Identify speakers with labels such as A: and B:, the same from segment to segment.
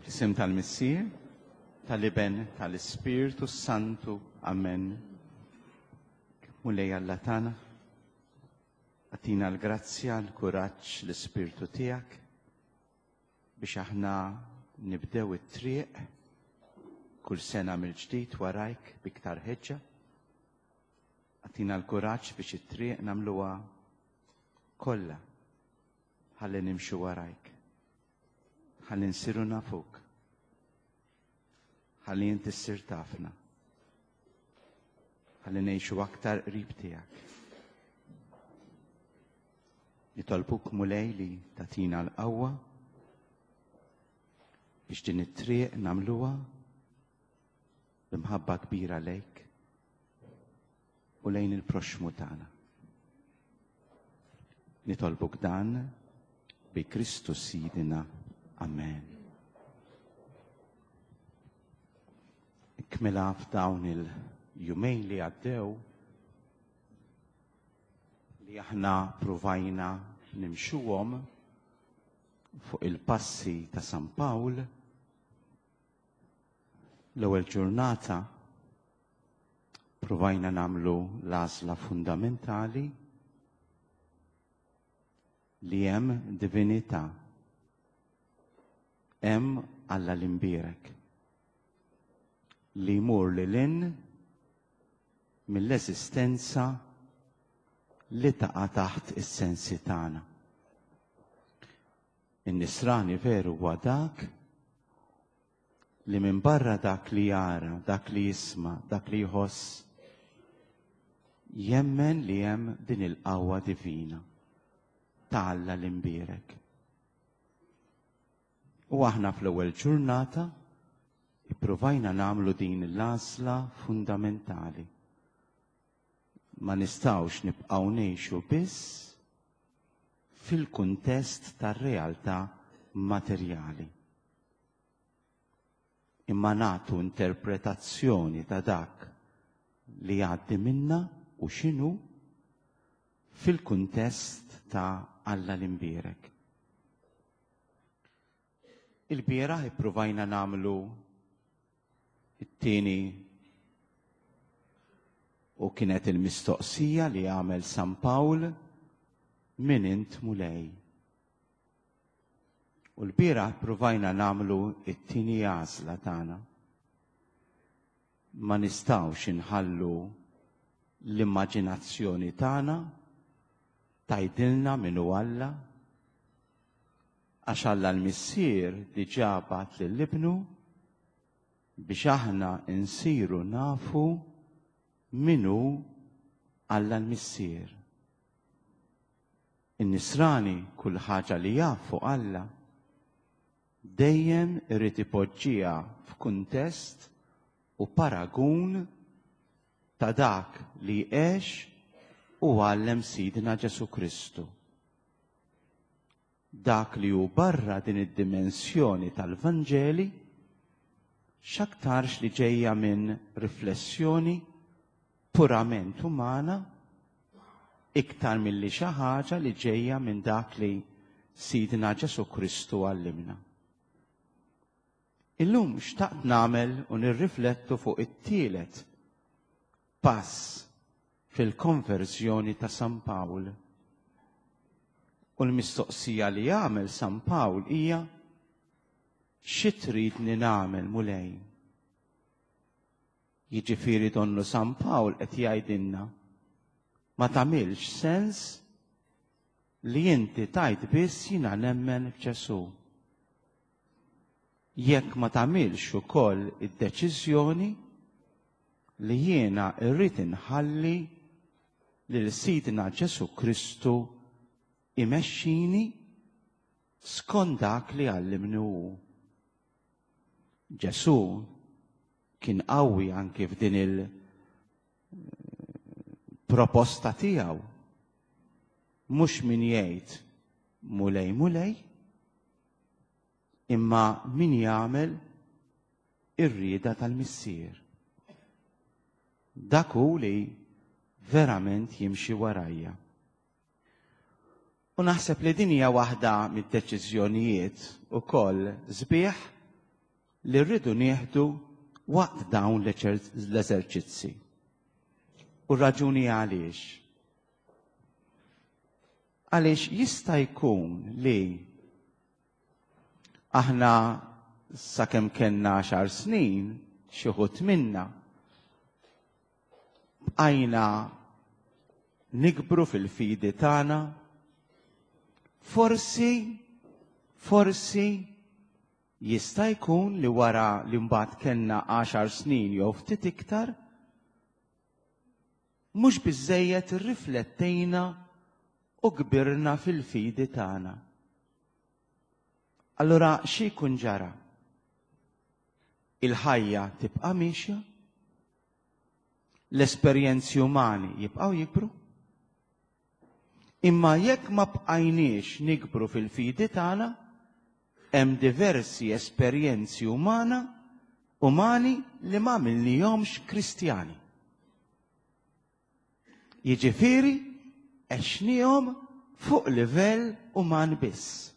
A: Fl-isem tal-Missier, tal-Iben, tal-Ispirtu Santu. Amen. Mulej Alla tagħna, agħtina l-grazzja, l-kuraġġ, l-Ispirtu tiegħek biex aħna nibdew it-triq kull sena mill-ġdid warajk biktar ħeġġa. Agħtina l-kuraġġ biex it-triq nagħmluha kollha ħalli nimxu warajk. Ħalli nsiru nafuk. Ħalli inti ssir tafna. Ħalli ngħixu aktar qrib tiegħek. Nitolbuk Mulej li tagħtina l-qawwa biex din it-triq nagħmluha b'imħabba kbira lejk u lejn il-proxxmu tagħna. Nitolbuk dan bi Kristu Sidina. Amen. Ikmela f'dawn il-jumejn li għaddew li aħna pruvajna nimxuhom fuq il-passi ta' San Pawl l-ewwel ġurnata Provajna nagħmlu l-għażla fundamentali li hemm divinità. Hemm Alla l-imbierek li jmur lil hinn mill-eżistenza li taqa' taħt is-sensi tagħna. In-nisrani veru huwa dak li minbarra dak li jara, dak li jisma', dak li jħoss, jemmen li hemm din il-qawwa divina ta' Alla l-imbierek. U aħna fl-ewwel ġurnata ippruvajna nagħmlu din l-għażla fundamentali. Ma nistgħux nibqgħu ngħixu biss fil-kuntest tar-realtà materjali. Imma nagħtu interpretazzjoni ta' dak li jgħaddi minna u x'inhu fil-kuntest ta' Alla l-imbierek. Il-bieraħ ippruvajna nagħmlu it-tieni u kienet il-mistoqsija li għamel San Pawl min int Mulej. U l-bieraħ provajna nagħmlu it-tieni għażla tagħna. Ma nistgħux inħallu l-immaġinazzjoni tagħna tgħidilna min hu Alla għax Alla l-Missier diġà bagħat lil Ibnu biex aħna nsiru nafu min hu Alla l-Missier. In-Nisrani kull ħaġa li jaf fuq Alla dejjem irid ipoġġiha f'kuntest u paragun ta' dak li għex u għallem Sidna Ġesù Kristu. Dak li hu barra din id-dimensjoni tal-Vanġeli x'aktarx li ġejja minn riflessjoni purament umana iktar milli xi ħaġa li ġejja minn dak li Sidna Ġesù Kristu għallimna. Illum xtaqt nagħmel u nirriflettu fuq it-tielet pass fil-konverżjoni ta' San Pawl. U l-mistoqsija li għamel San Pawl hija xi tridni nagħmel Mulej? Jiġifieri donnu San Pawl qed jgħidilna ma tagħmilx sens li inti tgħid biss jiena nemmen f'Ġesù. Jekk ma tagħmilx ukoll id-deċiżjoni li jiena rrid inħalli lil Sidna Ġesù Kristu imexxini skont dak li għallimni hu. Ġesù kien qawwi anki f'din il-proposta tiegħu. Mhux min jgħid Mulej Mulej, imma min jagħmel ir-rieda tal-Missier. Dak hu li verament jimxi warajja. U naħseb li din hija waħda mid-deċiżjonijiet ukoll sbieħ. li rridu nieħdu waqt dawn l-eżerċizzi. U raġuni għaliex. Għaliex jista' jkun li aħna sakemm kellna għaxar snin, xi wħud minna, bqajna nikbru fil-fidi tagħna, forsi, forsi jista' jkun li wara li mbagħad kellna għaxar snin jew ftit iktar, mhux biżżejjed irriflettejna u kbirna fil-fidi tagħna. Allura xi jkun ġara? Il-ħajja tibqa' miexja, l-esperjenzi umani jibqgħu jikbru, imma jekk ma bqajniex nikbru fil-fidi tagħna, hemm diversi esperjenzi umana umani li ma għamilnihomx Kristjani. Jiġifieri għexnihom fuq livell uman biss.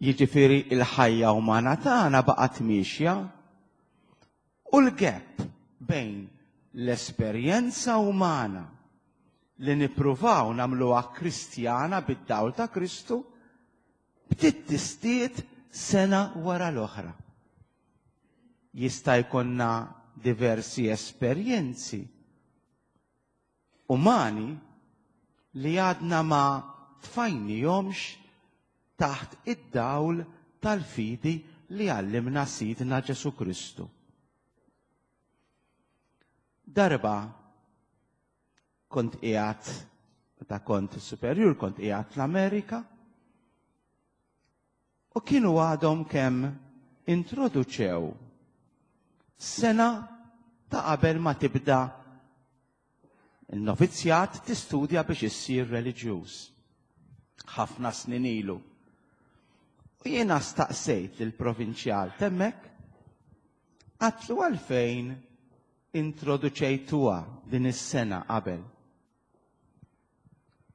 A: Jiġifieri il-ħajja umana tagħna baqgħet miexja u l-gap bejn l-esperjenza umana li nippruvaw nagħmluha Kristjana bid-dawl ta' Kristu bdiet tistied sena wara l-oħra. Jista' jkollna diversi esperjenzi umani li għadna ma tfajnihomx taħt id-dawl tal-fidi li għallimna Sidna Ġesù Kristu. Darba kont qiegħed, meta kont superjur, kont qiegħed l-Amerika, u kienu għadhom kemm introduċew sena ta' qabel ma tibda il-novizzjat tistudja biex issir reliġjuż. Ħafna snin ilu. U jiena staqsejt lill-provinċjal temmek, għatlu għalfejn introduċejtuha din is-sena qabel.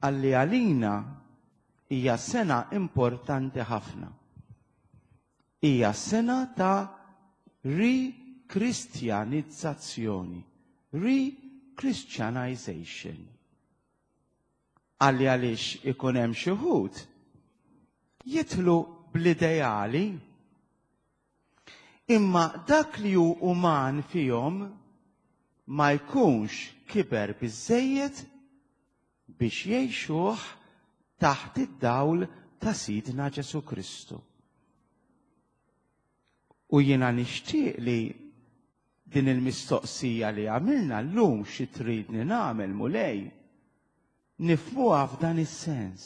A: Qalli għalina hija sena importanti ħafna. Hija sena ta' rikristjanizzazzjoni, re-Christianization. Qalli għaliex ikun hemm xi wħud jidħlu bl-ideali imma dak li hu uman fihom ma jkunx kiber biżżejjed biex jgħixuh taħt id-dawl ta' Sidna Ġesù Kristu. U jiena nixtieq li din il-mistoqsija li għamilna llum xi tridni nagħmel Mulej, nifhmuha f'dan is-sens.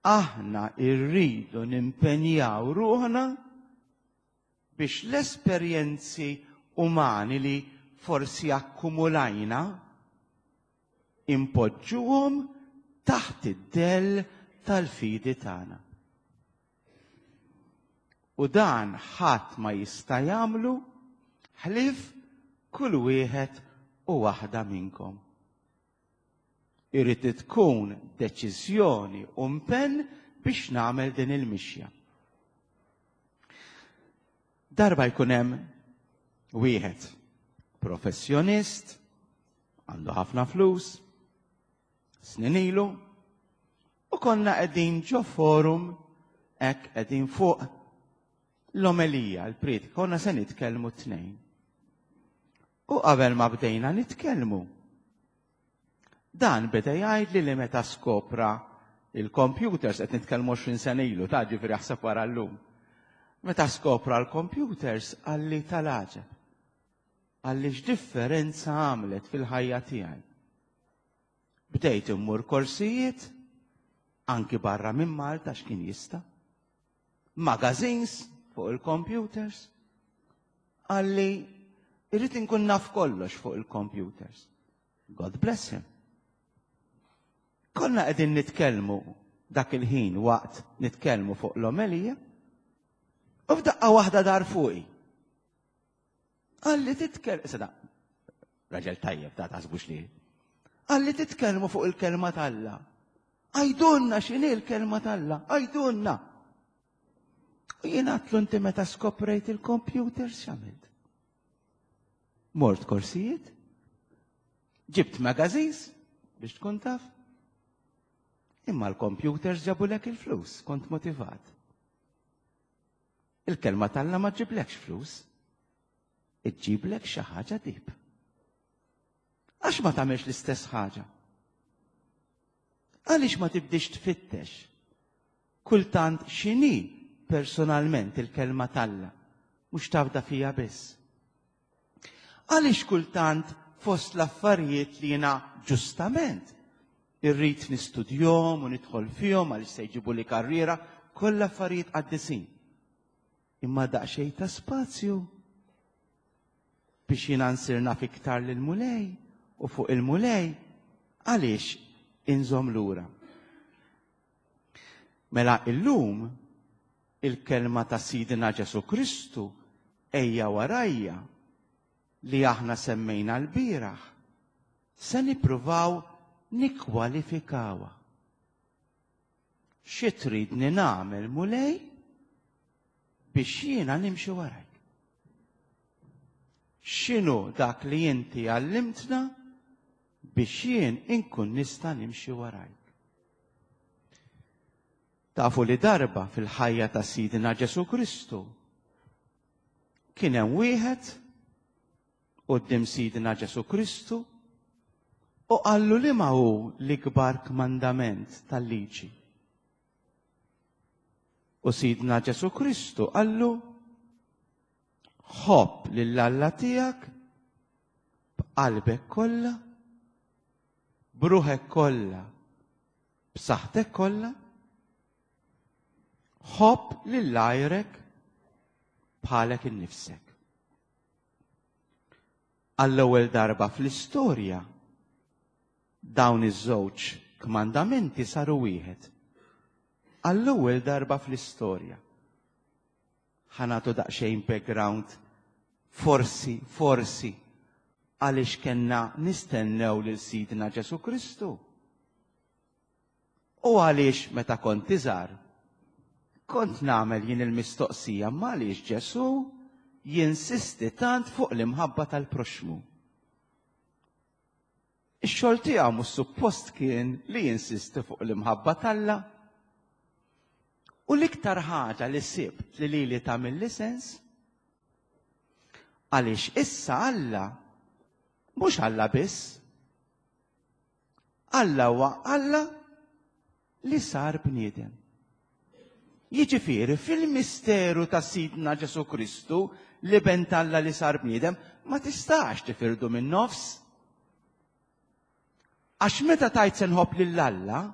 A: Aħna rridu nimpenjaw ruħna biex l-esperjenzi umani li forsi akkumulajna impoġġuhom taħt id-dell tal-fidi tagħna. U dan ħadd ma jista' jagħmlu ħlief kull wieħed u waħda minnkom. Irid tkun deċiżjoni u mpenn biex nagħmel din il-mixja. Darba jkun hemm wieħed professjonist, għandu ħafna flus, snin ilu, u konna qegħdin ġo forum hekk qegħdin fuq l-omelija, l-priedka, konna se nitkellmu t-tnejn. U qabel ma bdejna nitkellmu, dan beda jgħidli li meta skopra il-computers, qed nitkellmu 20 sena ilu, ta' ġifieri aħseb wara llum. Meta skopra l-computers qalli tal-għaġeb. Qalli x'differenza għamlet fil-ħajja tiegħi. Bdejt immur korsijiet, anki barra minn Malta x'kien jista'. Magazines fuq il-computers. Qalli irrid inkun naf kollox fuq il-computers. God bless him. Konna qegħdin nitkellmu dak il-ħin waqt nitkellmu fuq l-omelija u f'daqqa waħda dar fuqi. Qalli titkellmu, sada, raġel tajjeb ta' taħsbux li. Qalli titkellmu fuq il-kelma t'Alla. Għajdunna x'inhi l-kelma t'Alla, għajdunna. U Jien għatlu inti meta skoprejt il-computer x'għamilt? Mort korsijiet? Ġibt magazines biex tkun taf? Imma l-computers ġabulek il-flus, kont motivat. Il-kelma t'Alla ma ġiblekx flus, iġġiblek xi ħaġa dib. Għax ma tagħmilx l-istess ħaġa? Għaliex ma tibdix tfittex kultant x'inhi personalment il-kelma t'Alla, mhux tafda fija biss? Għaliex kultant fost l-affarijiet li jiena ġustament irrid nistudjom u nidħol fihom għaliex se jġibu li karriera, kollha affarijiet qaddisin. Imma daqsxejn ta' spazju biex jiena nsir naf iktar lill-Mulej u fuq il-Mulej għaliex inżomm lura. Mela illum il-kelma ta' Sidna Ġesu Kristu ejja warajja li aħna semmejna l-bieraħ se nippruvaw nikkwalifikawha. Xi tridni nagħmel Mulej biex jiena nimxi warajk? X'inhu dak li inti għallimtna biex jien inkun nista' nimxi warajk? Tafu li darba fil-ħajja ta' Sidna Ġesu Kristu kien hemm wieħed quddiem Sidna Ġesu Kristu u qallu li ma hu l-ikbar kmandament tal-liġi. U Sidna Ġesu Kristu qallu ħobb lil Alla tiegħek b'qalbek kollha, b'ruħek kollha, b'saħħtek kollha, ħobb lil għajrek bħalek innifsek. Għall-ewwel darba fl-istorja dawn iż-żewġ kmandamenti saru wieħed. Għall-ewwel darba fl-istorja. Ħa nagħtu daqsxejn background forsi, forsi, għaliex kellna nistennew lil Sidna Ġesu Kristu. U għaliex meta kont iżgħar, kont nagħmel jien il-mistoqsija ma għaliex Ġesu jinsisti tant fuq l-imħabba tal-proxmu. Ix-xogħol tiegħu mhux suppost kien li jinsisti fuq l-imħabba t'Alla. U l-iktar ħaġa li sibt li lili tagħmilli sens għaliex issa Alla mhux Alla biss. Alla huwa Alla li sar bniedem. Jiġifieri fil-misteru ta' Sidna Ġesu Kristu li ben t'Alla li sar bniedem ma tistax tifirdu minn nofs. Għax meta tajt se nħobb lil Alla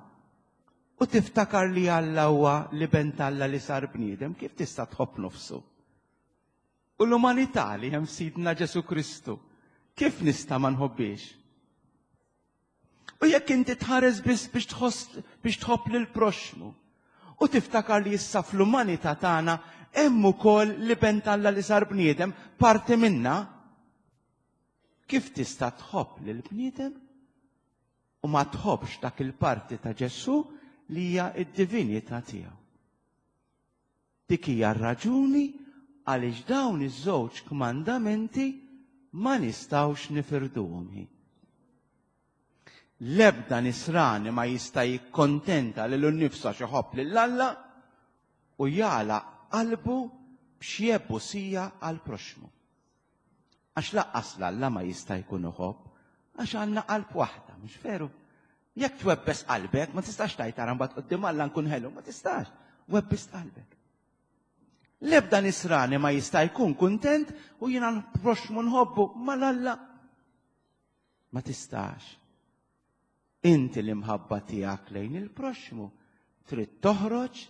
A: u tiftakar li Alla huwa li ben t'Alla li sar bniedem, kif tista' tħobb nofsu? U l-umanità li hemm Sidna Ġesu Kristu, kif nista' ma nħobbiex? U jekk inti tħares biss biex tħoss biex tħobb lil proxmu u tiftakar li issa fl-umanità tagħna hemm ukoll li ben t'Alla li sar bniedem parti minna, kif tista' tħobb lil bniedem u ma tħobbx dak il-parti ta' Ġesù li hija d-divinità tiegħu? Dik hija r-raġuni għaliex dawn iż-żewġ kmandamenti ma nistgħux nifirduhom. L-ebda nisrani ma jista' jikkontenta lilu nnifsu għax iħobb lil Alla u jagħlaq qalbu b'xi ebusija għall-proxxmu. Għax laqqas l-Alla ma jista' jkun iħobb, għax għandna qalb waħda, mhux veru? Jekk twebbes qalbek, ma tistax tgħid ara mbagħad quddiem Alla nkun ħelu, ma tistax. Webbist qalbek. L-ebda nisrani ma jista' jkun kuntent u jiena l-proxxmu nħobbu mal-Alla. Ma tistax. Inti l-imħabba tiegħek lejn il-proxxmu trid toħroġ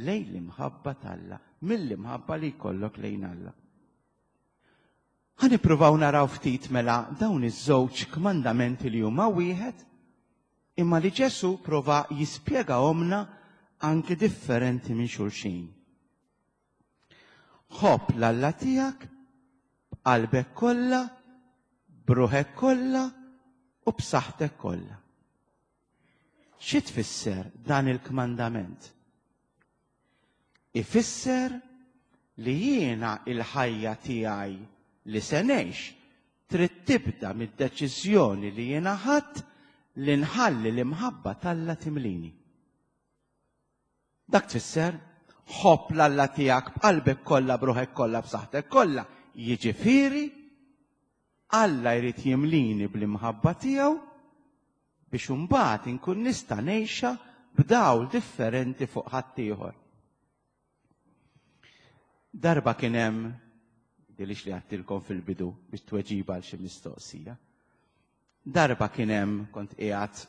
A: lejn l-imħabba t'Alla, mill-imħabba li jkollok lejn Alla. Ħa nippruvaw naraw ftit mela dawn iż-żewġ kmandamenti li huma wieħed, imma li Ġesù prova jispjegahomna anki differenti minn xulxin. Ħobb l-Alla tiegħek b'qalbek kollha, b'ruħek kollha u b'saħħtek kollha. Xi tfisser dan il-kmandament? Ifisser Li jiena il-ħajja tiegħi li se ngħix trid tibda mid-deċiżjoni li jiena ħadt li nħalli l-imħabba t'Alla timlini. Dak tfisser ħobb l-Alla tiegħek b'qalbek kollha, b'ruħek kollha, b'saħħtek kollha. Jiġifieri Alla jrid jimlini bl-imħabba tiegħu biex imbagħad inkun nista' ngħixha b'dawl differenti fuq ħaddieħor. Darba kien hemm dilix li għattilkom fil-bidu biex tweġiba għal xi mistoqsija. Darba kien hemm kont qiegħed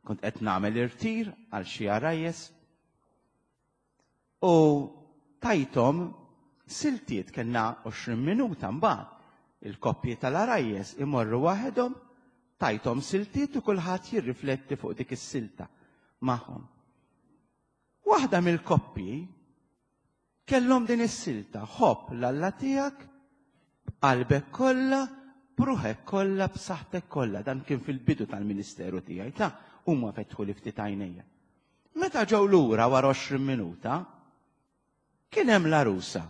A: kont qed nagħmel irtir għal xi għarajjes u tajthom siltiet kellna 20 minuta mbagħad il-koppji tal-għarajjes imorru waħedhom tajthom siltiet u kulħadd jirrifletti fuq dik is-silta magħhom. Waħda mill-koppji Kellhom din is-silta, Ħobb 'l Alla tiegħek b'qalbek kollha, b'ruħek kollha, b'saħħtek kollha. Dan kien fil-bidu tal-ministeru tiegħi, ta' huma fetħuli ftit għajnejja. Meta ġew lura wara 20 minuta, kien hemm l-għarusa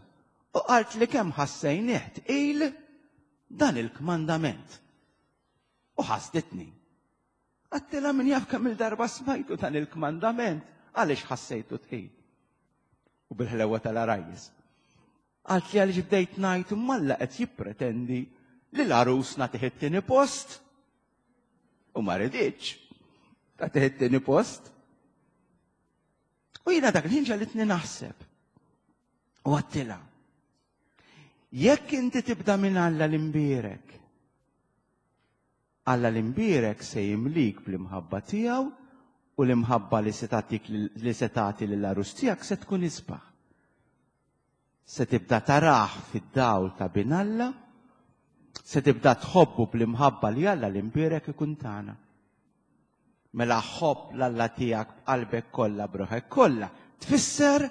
A: u qalt li kemm ħassejnih tqil dan il-kmandament. U ħasditni. Għattilha min jaf kemm il-darba smajtu dan il-kmandament, għaliex ħassejtu tqil. U bil-ħlewa tal-arajjes. Għalt li għaliex bdejt ngħid malla qed jippretendi li l-għarus nagħtih it-tieni post. U ma riditx tagħtih it-tieni post. U jiena dak il-ħin ġalitni naħseb. U għattilha. Jekk inti tibda minn Alla l-imbierek, Alla l-Imbierek se jimlik bl-imħabba tiegħu u l-imħabba li se tagħtik li se tagħti lill-għarus tiegħek se tkun isbaħ. Se tibda tarah fid-dawl ta' bin Alla, se tibda tħobbu bl-imħabba li Alla l-Imbierek ikun tagħna. Mela ħobb l-Alla tiegħek b'qalbek kollha b'ruħek kollha tfisser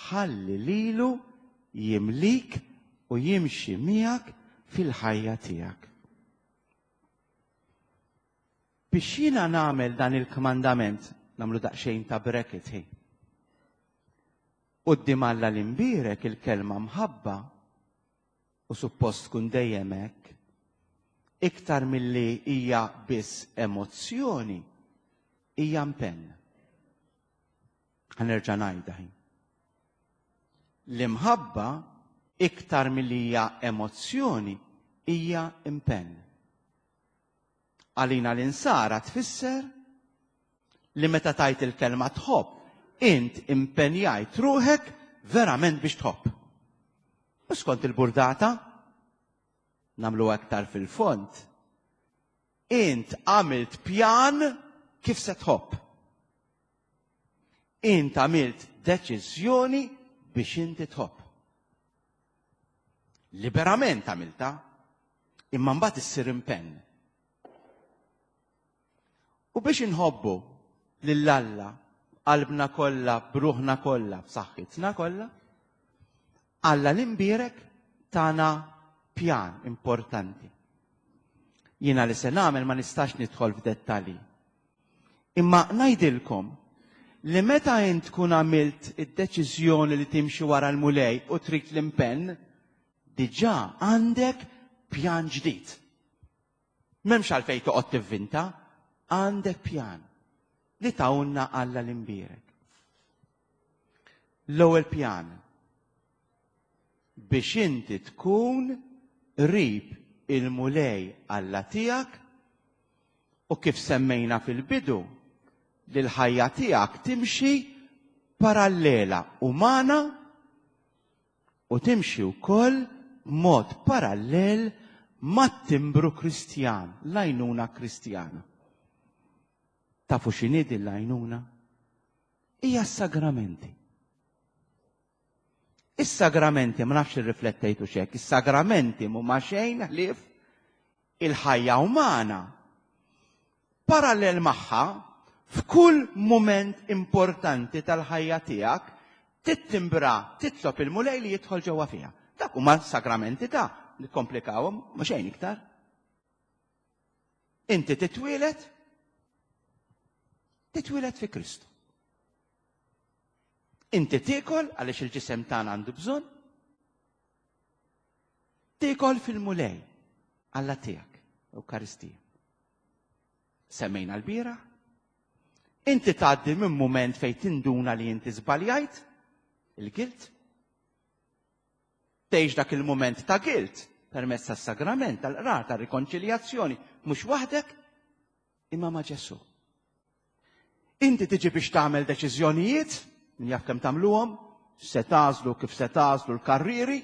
A: ħalli lilu jimlik u jimxi miegħek fil-ħajja tiegħek. Biex jiena nagħmel dan il-kmandament, nagħmlu daqsxejn ta' bracket hi. Quddiem Alla l-imbierek il-kelma mħabba u suppost tkun dejjem hekk, iktar milli hija biss emozzjoni, hija impenn. Ħa nerġa' ngħidha hi. L-imħabba iktar milli hija emozzjoni hija impenn. Għalina l-insara tfisser li meta tajt il-kelma tħobb, int impenjajt ruħek verament biex tħobb. U skont il-burdata, namlu aktar fil-fond, int għamilt pjan kif se tħobb. Int għamilt deċiżjoni biex inti tħobb. Liberament għamilta, imma mbagħad issir impenn. U biex inħobbu lil Alla qalbna kollha, b'ruħna kollha, b'saħħitna kollha, Alla l-imbierek tana pjan importanti. Jiena li se nagħmel ma nistax nidħol f'dettalji. Imma ngħidilkom li meta int tkun għamilt id-deċiżjoni li timxi wara l-Mulej u trid l-impenn, diġà għandek pjan ġdid. M'hemmx għalfejn toqgħod tivvinta, għandek pjan li tawna Alla l-imbierek. L-ewwel pjan biex inti tkun qrib il-Mulej Alla tiegħek u kif semmejna fil-bidu li l-ħajja tiegħek timxi parallela umana u timxi wkoll b'mod parallel mat-timbru Kristjan, l-għajnuna Kristjana. Tafu x'inhi din l-għajnuna? Hija s-sagramenti. Is-sagramenti, ma nafx irriflettejtu xek, is-sagramenti mhuma xejn ħlief il-ħajja umana. Parallel magħha, f'kull mument importanti tal-ħajja tiegħek, tittimbra, titlob il-Mulej li jidħol ġewwa fiha. Dak huma sagramenti ta' nikkomplikawhom ma xejn iktar. Inti titwieled titwieled fi Kristu. Inti tiekol għaliex il-ġisem tagħna għandu bżonn. Tiekol fil-Mulej, Alla tiegħek, Ewkaristija. Semmejna l-bieraħ. Inti tgħaddi minn mument fejn tinduna li inti żbaljajt, il-gilt. Tgħix dak il-mument ta' gilt permezz tas-sagrament tal-qrar tar-rikonċiljazzjoni mhux waħdek imma ma' Ġesù. Inti tiġi biex tagħmel deċiżjonijiet, min jaf kemm tagħmluhom, se tagħżlu kif se tagħżlu l-karrieri.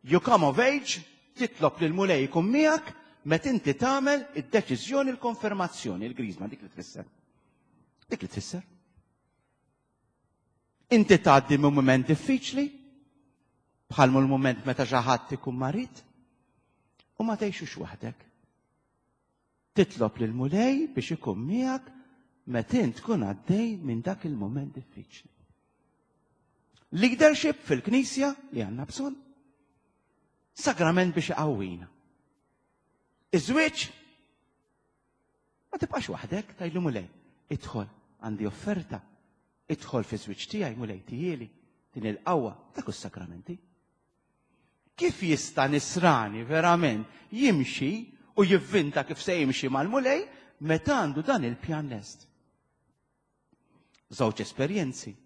A: You come of age, titlob lil Mulej ikun miegħek meta inti tagħmel id-deċiżjoni l-konfermazzjoni, il-griżma dik li tfisser. Dik li tfisser. Inti tgħaddi minn mument diffiċli, bħal l-mument meta xi ħadd ikun marid, u ma tgħixux waħdek. Titlob lill-Mulej biex ikun miegħek meta int tkun għaddej minn dak il-mument diffiċli. Leadership fil-Knisja li għandna bżonn. Sagrament biex iqawwina. Iż-żwieġ ma tibqax waħdek tgħidlu Mulej, idħol għandi offerta, idħol fi żwieġ tiegħi Mulej tijieli din il-qawwa dak is-sagramenti. Kif jista' nisrani verament jimxi u jivvinta kif se jimxi mal-Mulej meta għandu dan il-pjan lest? Żewġ esperjenzi.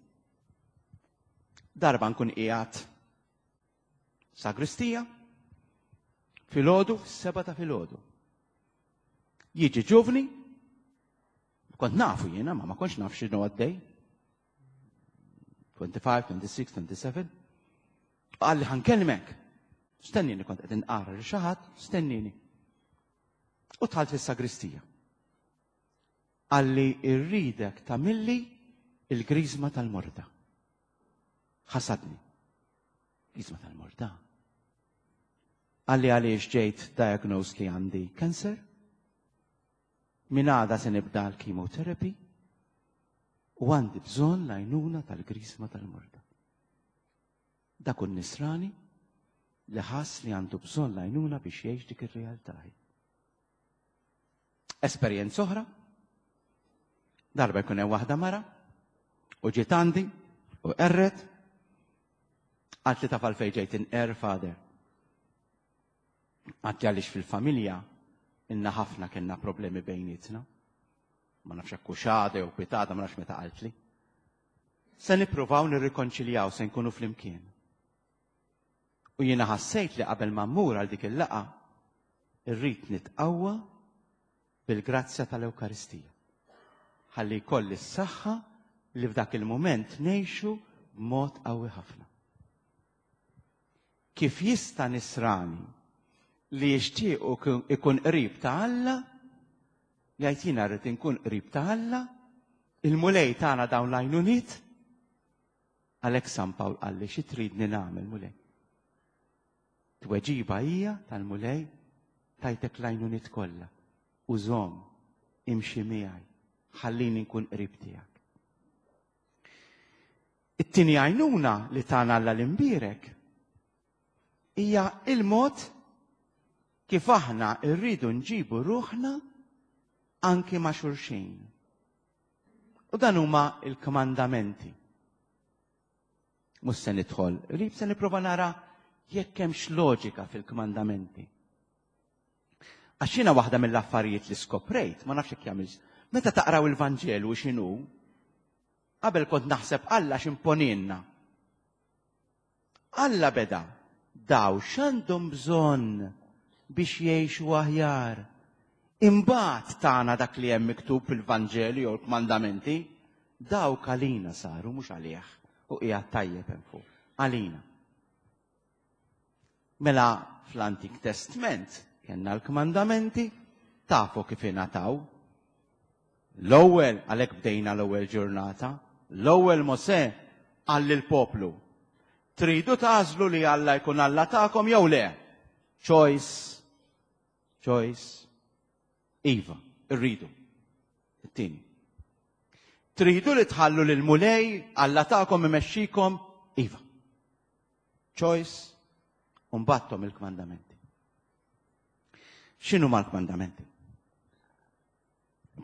A: Darba nkun qiegħed sagristija filgħodu, seba ta' filgħodu. Jiġi ġuvni, kont nafu jiena, ma ma kontx naf x'inhu għaddej. 25, 26, 27. Qalli ħa nkellmek. Stennini kont qed inqara li xi ħadd, stennini. U dħalt fis-sagristija. Qalli irridek tagħmilli il-griżma tal-morda. Ħasadni. Griżma tal-morda. Qalli għaliex ġejt diagnosed li għandi cancer. Min għada se nibda l-chemotherapy u għandi bżonn l-għajnuna tal-griżma tal-morda. Dak hu n-nisrani li ħass li għandu bżonn l-għajnuna biex jgħix dik ir-realtà. Esperjenza oħra, darba jkun hemm waħda mara u ġiet għandi u qerret għalt li taf għalfejn ġejt inqer father. Għalt li għaliex fil-familja inna ħafna kellna problemi bejnietna. Ma nafx hekk xada jew pitada, ma nafx meta qaltli. Se nippruvaw nirrikonċiljaw se nkunu flimkien. U jiena ħassejt li qabel ma mmur għal dik il-laqgħa irrid nitqawwa bil-grazzja tal-Ewkaristija. Ħalli jkolli s-saħħa li f'dak il-mument ngħixu b'mod qawwi ħafna. Kif jista' nisrani li jixtieq ikun qrib ta' Alla, jgħid jiena rrid inkun qrib ta' Alla, il-Mulej tagħna dawn l-għajnuniet, għalhekk San Pawl qalli xi tridni nagħmel Mulej. Tweġiba hija tal-Mulej tajtek l-għajnuniet kollha. Użhom, imxi miegħi, ħallini nkun qrib tiegħek. It-tieni għajnuna li tana Alla l-imbierek hija il-mod kif aħna rridu nġibu ruħna anki ma' xulxin. U dan huma il-kmandamenti. Mhux se nidħol, qrib se nipprova nara jekk hemmx loġika fil-kmandamenti. Għax jiena waħda mill-affarijiet li skoprejt, ma nafx jekk jagħmilx, meta taqraw il-Vanġelu x'inhu, Qabel kont naħseb Alla x'imponinna. Alla beda daw x'għandhom bżonn biex jgħixu aħjar. Imbagħad tagħna dak li hemm miktub fil-Vanġelu jew l-kmandamenti, dawk għalina saru mhux għalih u qiegħed tajjeb hemm fuq. Għalina. Mela fl-Antik Testment kellna l-kmandamenti, tafu kif ingħataw. L-ewwel għalhekk bdejna l-ewwel ġurnata, l-ewwel Mosè qal lill-poplu, tridu tagħżlu li Alla jkun Alla tagħkom jew le? Choice. Choice. Iva, irridu. It-tieni. Tridu li tħallu lil Mulej Alla tagħkom imexxikom? Iva. Choice, u mbattom il-kmandamenti. X'inhu mal-kmandamenti?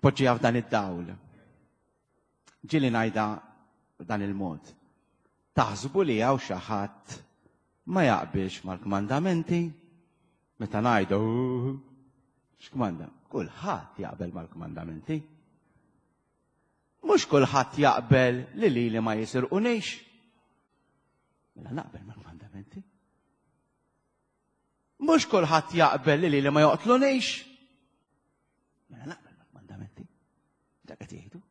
A: Poġġi f'dan id-dawl. Ġieli ngħidha b'dan il-mod. Taħsbu li hawn xi ħadd ma jaqbilx mal-kmandamenti? Meta ngħidu x'kmanda? Kulħadd jaqbel mal-kmandamenti. Mhux kulħadd jaqbel li lili ma jisirqunix. Mela naqbel mal-kmandamenti. Mhux kulħadd jaqbel li lili ma joqtlunix. Mela naqbel mal-kmandamenti. Dak qed jgħidu.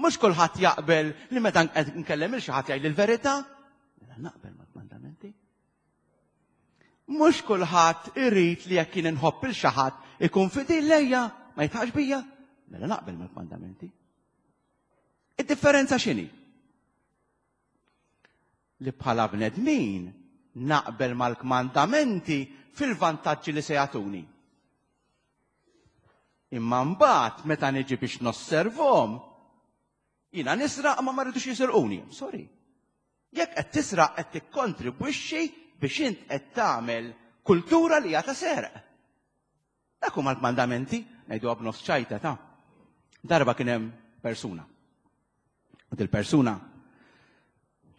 A: Mhux kulħadd jaqbel li meta nkellem il xi ħadd jgħid il-verità. Mela naqbel mal-kmandamenti. Mhux kulħadd irid li jekk jien inħobb il xi ħadd ikun fidil lejja, ma jitħax bija. Mela naqbel mal-kmandamenti. Id-differenza x'inhi? Li bħala bnedmin naqbel mal-kmandamenti fil-vantaġġi li se jagħtuni. Imma mbagħad meta niġi biex nosservhom, jiena nisraq ma ma rridux jisirquni. Sorry. Jekk qed tisraq qed tikkontribwixxi biex int qed tagħmel kultura li hija ta' serq. Dak huma l-kmandamenti, ngħiduha b'nofs ċajta ta' darba kien hemm persuna. U dil-persuna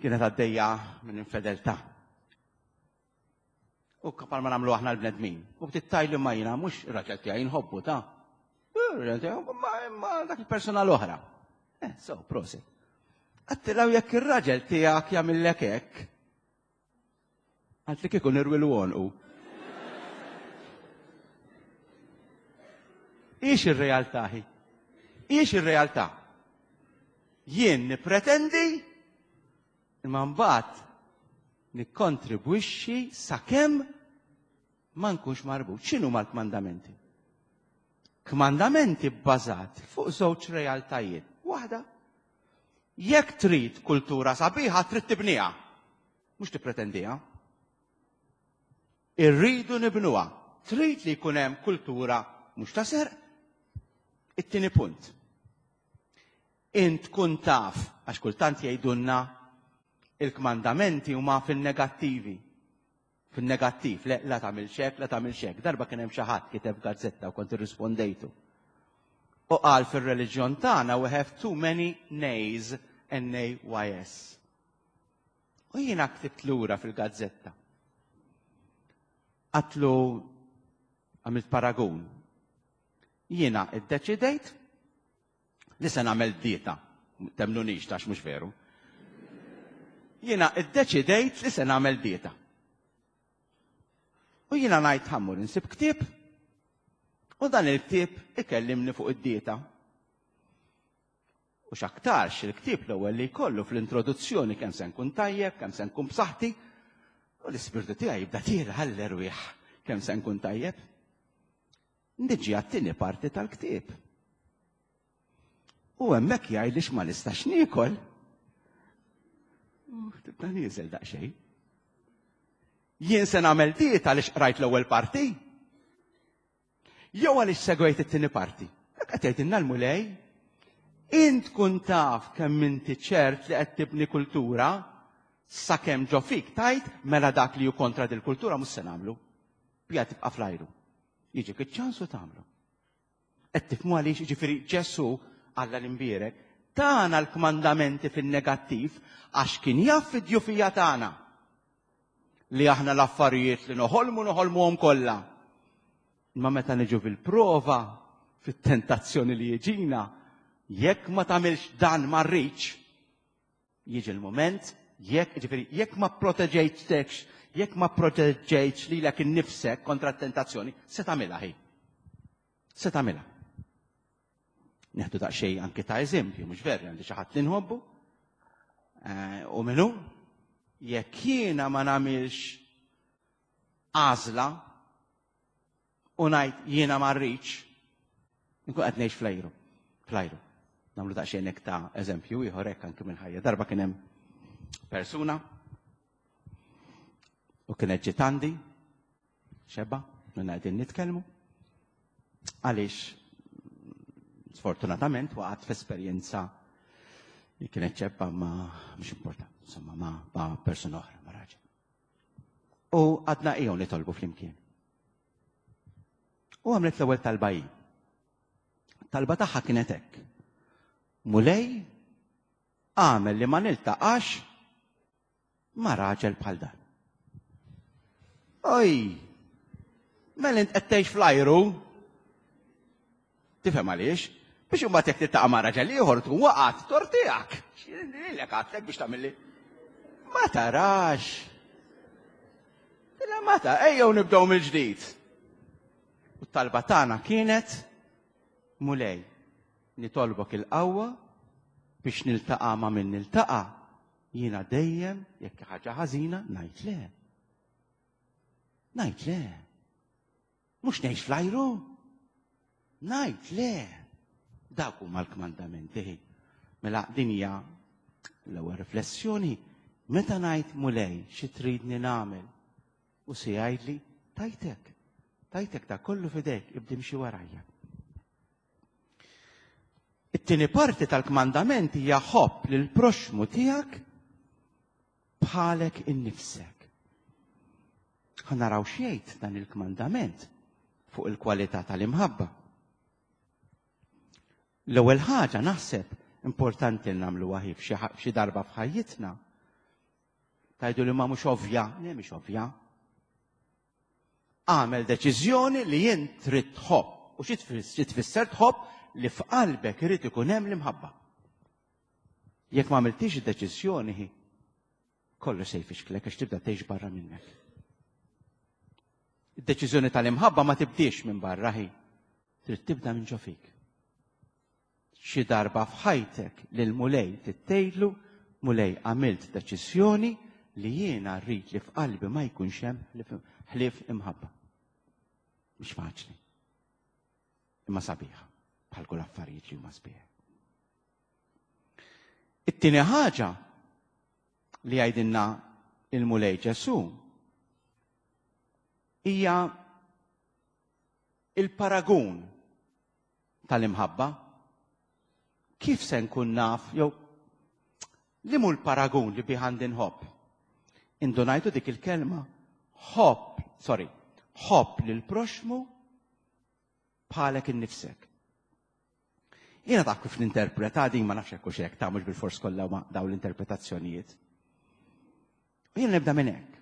A: kienet għaddejja minn infedeltà. U kapal ma nagħmlu aħna l-bnedmin. U bdiet tajli ma jiena mhux ir-raġel tiegħi nħobbu ta' ir-raġel tiegħi ma dak il-persuna l-oħra. Eh, so, prosit. Għattilaw jekk ir-raġel tiegħek jagħmillek hekk, Għalt li kieku nirwilu għonqu. Ix ir-realtà hi? Ix ir-realtà? Jien nipretendi imma mbagħad nikkontribwixxi sakemm ma nkunx marbut. X'inhu mal-kmandamenti? Kmandamenti bbażat fuq żewġ realtajiet. Waħda, jekk trid kultura sabiħa trid tibniha. Mhux tippretendiha. Irridu nibnuha. Trid li jkun hemm kultura mhux ta' serq. It-tieni punt. Int tkun taf, għax kultant jgħidulna il-kmandamenti huma fin-negattivi. Fin-negattiv, le, la tagħmilx hekk, la tagħmilx hekk. Darba kien hemm xi ħadd kiteb gazzetta u kont irrispondejtu. U qal fir-reliġjon tagħna we have too many nays, N-A-Y-S. U jiena ktibt lura fil-gazzetta. Għatlu għamilt paragun. Jiena iddeċidejt li se nagħmel dieta. Temnunix tax mhux veru. Jiena iddeċidejt li se nagħmel dieta. U jiena ngħid ħammur insib ktieb u dan il-ktieb ikellimni fuq id-dieta. U x'aktarx il-ktieb l-ewwel li jkollu fl-introduzzjoni kemm se nkun tajjeb, kemm se nkun b'saħħti, u l-ispirtu tiegħi jibda tiela għall-erwieħ kemm se nkun tajjeb. Niġi għat-tieni parti tal-ktieb. U hemmhekk jgħidli x'ma nistax niekol. Tibda nieżel daqsxejn. Jien se nagħmel dieta għaliex qrajt l-ewwel parti? Jew għaliex segwejt it-tieni parti? Dak qed jgħidilna l-Mulej. Int tkun taf kemm inti ċert li qed tibni kultura sakemm ġo fik tajt mela dak li hu kontra dil-kultura mhux se nagħmlu. Bija tibqa' fl-ajru. Jiġik iċ-ċans u tagħmlu. Qed tifhmu għaliex jiġifieri Ġesù Alla l-imbierek tana l-kmandamenti fin-negattiv għax kien jaf id-djufija tagħna. Li aħna l-affarijiet li noħolmu noħolmuhom kollha. Imma meta niġu fil-prova, fit-tentazzjoni li jiġina, jekk ma tagħmilx dan ma rridx, jiġi l-mument, jekk, ġifieri, jekk ma proteġejtekx, jekk ma proteġejtx lilek innifsek kontra t-tentazzjoni, se tagħmilha hi. Se tagħmilha. Neħdu daqsxejn anke ta' eżempju, mhux veru għandi xi ħadd li nħobbu. Eh, u minnu, jekk jiena ma nagħmilx għażla u ngħid jiena ma rridx, nkun qed ngħix flajru. Flajru. Nagħmlu daqsxejn hekk ta' eżempju ieħor hekk anke minn ħajja. Darba kien hemm persuna u kienet ġiet għandi xebba, minna qegħdin nitkellmu. Għaliex sfortunatament waqgħet f'esperjenza li kienet ċebba ma mhux importanti, insomma ma, ma persuna oħra, ma raġel. U għadna ejjew nitolbu flimkien. U għamlet l-ewwel talba hi. Talba tagħha kienet hekk. Mulej, Agħmel li ma niltaqax ma' raġel bħal dan. Oj! Mela int qed tgħix fl-ajru. Tifhem għaliex? Biex imbagħad jekk tiltaqa' ma' raġel ieħor tkun waqgħet tor tiegħek. Lilek għadtlek biex tagħmilli. Ma tarax. Tila ma ta' ejjew nibdew mill-ġdid. U t-talba tagħna kienet Mulej, nitolbok il-qawwa biex niltaqa' ma' min niltaqa' jiena dejjem jekk ħaġa ħażina ngħid le. Ngħid le. Mhux ngħix fl-ajru. Ngħid le. Dak huma l-kmandamenti. Mela din hija l-ewwel riflessjoni meta ngħid Mulej xi tridni nagħmel u se jgħidli tajtek. Tajtek ta' kollu fidejk ibdi mxi warajja. It-tieni parti tal-kmandament hija ħobb lil proxmu tiegħek bħalek innifsek. Ħa naraw x'jgħid dan il-kmandament fuq il-kwalità tal-imħabba. L-ewwel ħaġa naħseb importanti li nagħmlu waħi f'xi darba f'ħajjitna. Tajdu li ma mhux ovvja, le mhix ovvja. Għamel deċiżjoni li jint trid tħobb. U xi tfisser tħobb li f'qalbek irid ikun hemm l-imħabba. Jekk ma għamiltix id-deċiżjoni, kollox se jfixklek għax tibda tgħix barra minnek. Id-deċiżjoni tal-imħabba ma tibdiex minn barra hi, trid tibda minn ġo fik. Xi darba f'ħajtek lil Mulej tittejlu, Mulej għamilt deċiżjoni li jiena rrid li f'qalbi ma jkunx hemm ħlief imħabba. Mhix faċli. Imma sabiħa, bħal kull affarijiet li huma sbieħ. It-tieni ħaġa li jgħidilna il-Mulej Ġesu hija il-paragun tal-imħabba? Kif se nkun naf jew li mhu l-paragun li bih għandi nħobb? Indunajtu dik il-kelma ħobb, sorry, ħobb lil proxmu bħalek innifsek. Jiena taf kif ninterpreta din ma nafx hekk u xek, ta' mhux bil-fors kollha ma dawn l-interpretazzjonijiet. Jiena nibda minn hekk.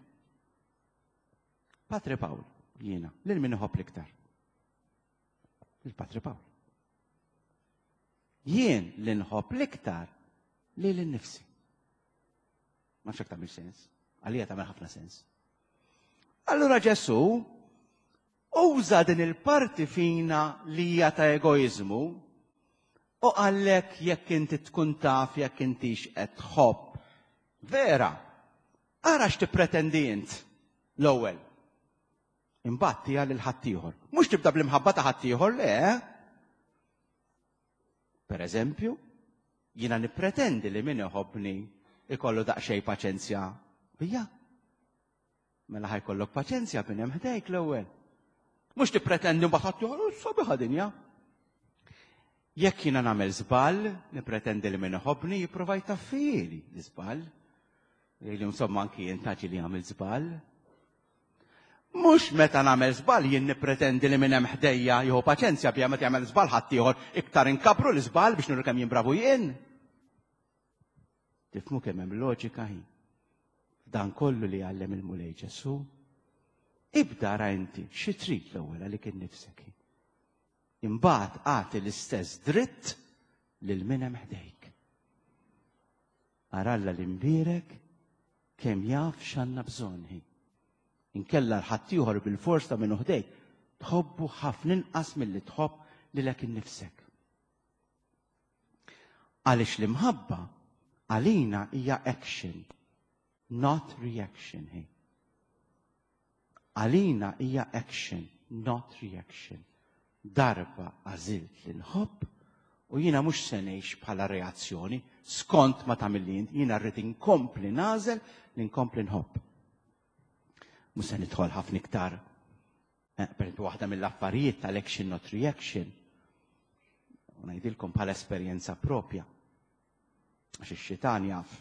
A: Patri Pawl, jiena, lil min iħobb l-iktar. Il-Patri Pawl. Jien li nħobb l-iktar li l-nifsi. Ma nafx tagħmel sens. Għalija tagħmel ħafna sens. Allura Ġesu uża din il-parti fina li hija ta' egoizmu u għallek jekk inti tkun taf jekk intix qed tħobb. Vera, ara x'tippretendi int l-ewwel. Imbagħad tiha lil ħaddieħor. Mhux tibda bl-imħabba ta' ħaddieħor, le. Per eżempju, jiena nippretendi li min iħobbni ikollu daqsxejn paċenzja bija. Mela ħajkollok paċenzja bin hemm ħdejk l-ewwel. Mhux tippretendi mbagħad ħaddieħor, oh, sabiħa dinja. Jekk jiena nagħmel żball, nippretendi li min iħobbni jipprova jtaffieli l-iżball. Jgħidli insomma anki jien taġi li għamil żball. Mhux meta nagħmel żball jien nippretendi li min hemm ħdejja jieħu paċenzja bija meta jagħmel żball ħaddieħor iktar inkabru l-iżball biex nuru kemm jien bravu jien. Tifhmu kemm hemm loġika hi. Dan kollu li għallem il-Mulej Ġesu, ibda ra inti xi trid l-ewwel għalik innifsek. Imbagħad agħti l-istess dritt lil min hemm ħdejk. Ara Alla l-imbierek kemm jaf x'għandna bżonn hi. Inkella l-ħaddieħor bil-fors ta' minnu ħdejk tħobbu ħafna inqas milli tħobb lilek innifsek. Għaliex l-imħabba għalina hija action, not reaction hi. Għalina hija action, not reaction. Darba għażilt li nħobb u jiena mhux se ngħix bħala reazzjoni skont ma tagħmilli int, jiena rrid inkompli nagħżel li nkompli nħobb. Mhux se nidħol ħafna iktar. Eh, per waħda mill-affarijiet tal-action not reaction. U ngħidilkom bħala esperjenza propja. Għax ix-xitan jaf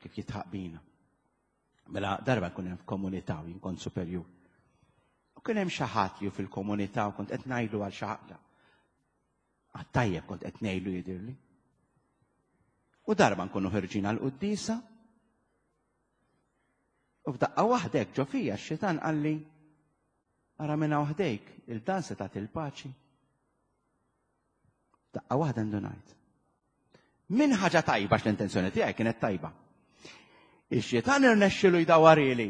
A: kif jitħaq bina. Mela darba nkun hemm f'komunità u jien kont superjur. U kien hemm xi ħadd li fil-komunità u kont qed ngħidu għal xi ħadd. Għat-tajjeb kont qed ngħidu jidhirli. U darba nkunu ħerġin għal quddisa. U f'daqqa waħda hekk ġo fija x-xitan qalli ara minn hawn ħdejk il-dan se tagħti l-paċi. Daqqa waħda ndunajt. Min ħaġa tajba l-intenzjoni tiegħi kienet tajba. Ix-xitan irnexxilu jdawarili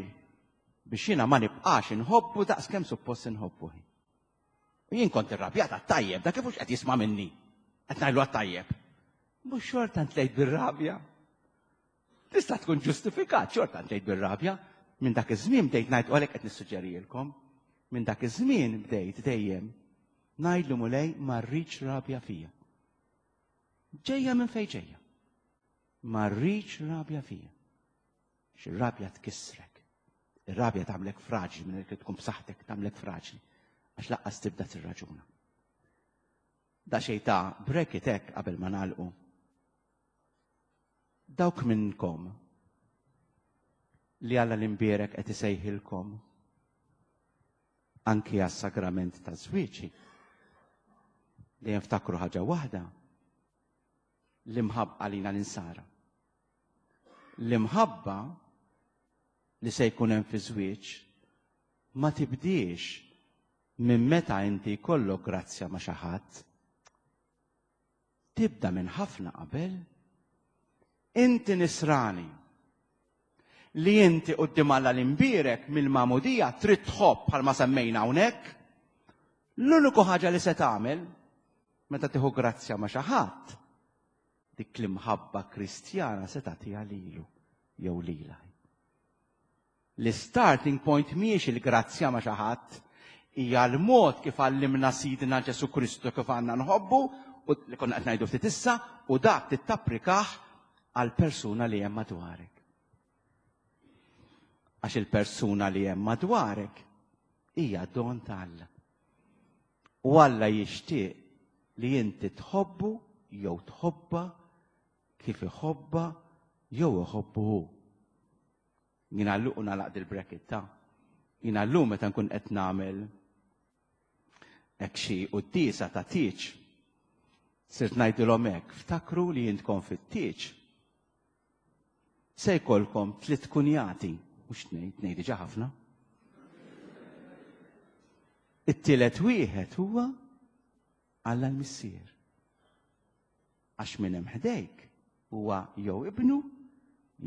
A: biex jiena ma nibqax inħobbu daqs kemm suppost inħobbu. U jien kont irrabjata tajjeb, da kif hux qed jisma' minni. Qed ngħidlu għat-tajjeb. Mhux xorta ntlejt bir-rabja. Tista' tkun ġustifikat xorta ntlejt bir-rabja. Minn dak iż-żmien bdejt ngħid u għalhekk qed nissuġġerilkom. Minn dak iż-żmien bdejt dejjem ngħidlu Mulej ma rridx rabja fija. Ġejja minn fejn ġejja. Ma rridx rabja fija. Xi rabja tkissrek. Ir-rabja tagħmlek fraġli minn li tkun b'saħħtek tagħmlek fraġli għax laqqas tibda tirraġuna. Da xejn ta' bracket hekk qabel ma nagħlqu. Dawk minnkom li Alla l-imbierek qed isejħilkom anki għas-sagrament ta' żwieġi. Dejjem ftakru ħaġa waħda, l-imħabba għalina l-insara. L-imħabba li se jkun hemm fi żwieġ ma tibdiex minn meta inti jkollok grazzja ma' xi ħadd. Tibda minn ħafna qabel. Inti nisrani li inti quddiem Alla l-imbierek mill-magħmudija trid tħobb bħalma semmejna hawnhekk. L-uniku ħaġa li se tagħmel meta tieħu grazzja ma' xi ħadd dik l-imħabba kristjana se tagħtiha lilu jew lilha. L-starting point mhijiex il-grazzja ma' xi ħadd, hija l-mod kif għallimna Sidna Ġesu Kristu kif għandna nħobbu u li konna qed ngħidu ftit issa u dak tittapplikah għal persuna li hemm madwarek. Għax il-persuna li hemm madwarek hija don ta' Alla. U Alla jixtieq li inti tħobbu jew tħobba kif iħobba jew iħobbu hu. Jina l u nagħlaq dil-bracket ta' jina llum meta nkun qed nagħmel hekk xi quddiesa ta' tieġ. Sirt ngħidilhom hekk, ftakru li jintkom fit-tieġ. Se jkollkom tliet kunjati, mhux tnejn, tnejn diġà ħafna. It-tielet wieħed huwa Alla l-Missier. Għax min hemm ħdejk huwa jew ibnu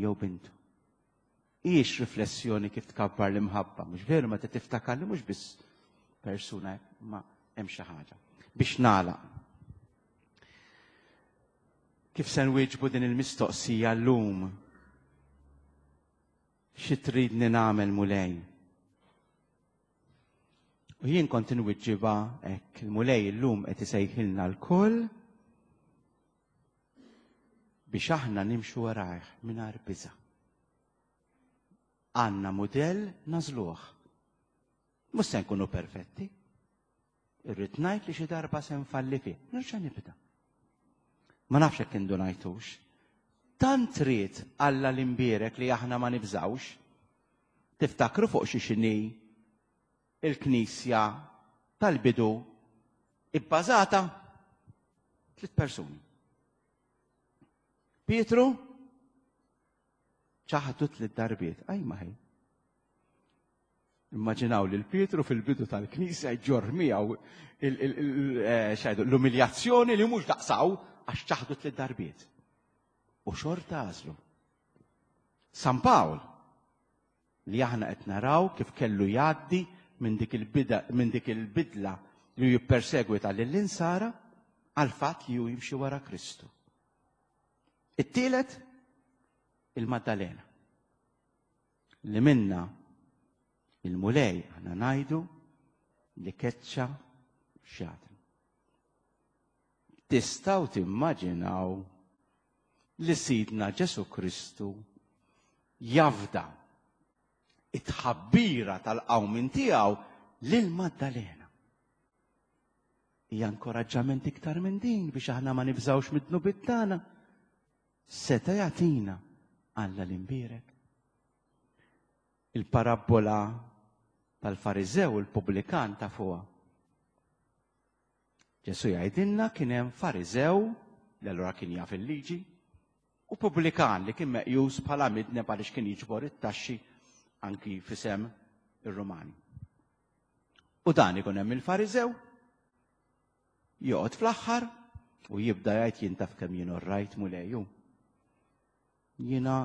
A: jew bintu. Hijiex riflessjoni kif tkabbar l-imħabba, mhux veru meta tiftakar li mhux biss persuna ma hemm xi ħaġa. Biex nagħlaq. Kif se nwieġbu din il-mistoqsija llum? Xi tridni nagħmel Mulej? U jien kont inwiġġibha hekk, il-Mulej illum qed isejħilna lkoll biex aħna nimxu warajh mingħajr biża'. Għandna mudell nażluh. Mhux se nkunu perfetti. Irrid ngħid li xi darba se nfalli fih. Nerġa' nibda. Ma nafx hekk indunajtux. Tant ried Alla l-imbierek li aħna ma nibżawx. Tiftakru fuq xi xini il-Knisja tal-bidu ibbażata tliet persuni. Pietru ċaħdu tliet darbiet. Aj ma ħej. Immaġinaw li l-Pietru fil-bidu tal-Knisja jġorr miegħu eh, l-umiljazzjoni li mhux daqsaw għax ċaħdu tliet darbiet. U xorta għażlu. San Pawl li aħna qed naraw kif kellu jgħaddi minn dik il-bida minn dik il-bidla li jippersegwita lill-insara għal fatt li hu jimxi wara Kristu. It-tielet il-Maddalena li minna il-Mulej aħna ngħidu li keċċa xjaten. Tistgħu timmaġinaw li Sidna Ġesu Kristu jafda it-tħabbira tal-qawmin tiegħu lil Maddalena. Hija inkoraġġament iktar minn din biex aħna ma nibżgħux mid-dnubiet tagħna. Seta' jagħtina Alla l-imbierek. Il-parabbola tal-Fariżew u l-pubblikan ta' fuqha. Ġesu jgħidilna kien hemm Fariżew li allura kien jaf il-liġi. U pubblikan li kien meqjus bħala midneb għaliex kien jiġbor it-taxxi anki f'isem ir-Rumani. U dan ikun hemm il-Fariżew joqgħod fl-aħħar u jibda jgħid jien taf kemm jien orrajt Mulej. Jiena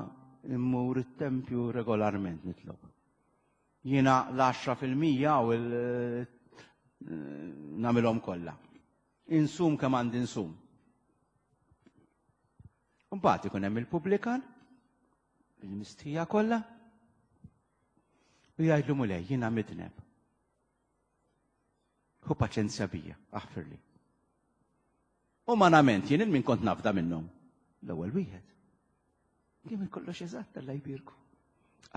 A: immur it-tempju regolarment nitlob. Jiena l-10% u l nagħmilhom kollha. Insum kemm għandi insum. Mbagħad ikun hemm il-pubblikan bil-mistħija kollha u jgħidlu Mulej jiena midneb. Hu paċenzja bija, aħfirli. Umanament jien il-min kont nafda minnhom. L-ewwel wieħed. Kien kollox eżatt Alla jbierku.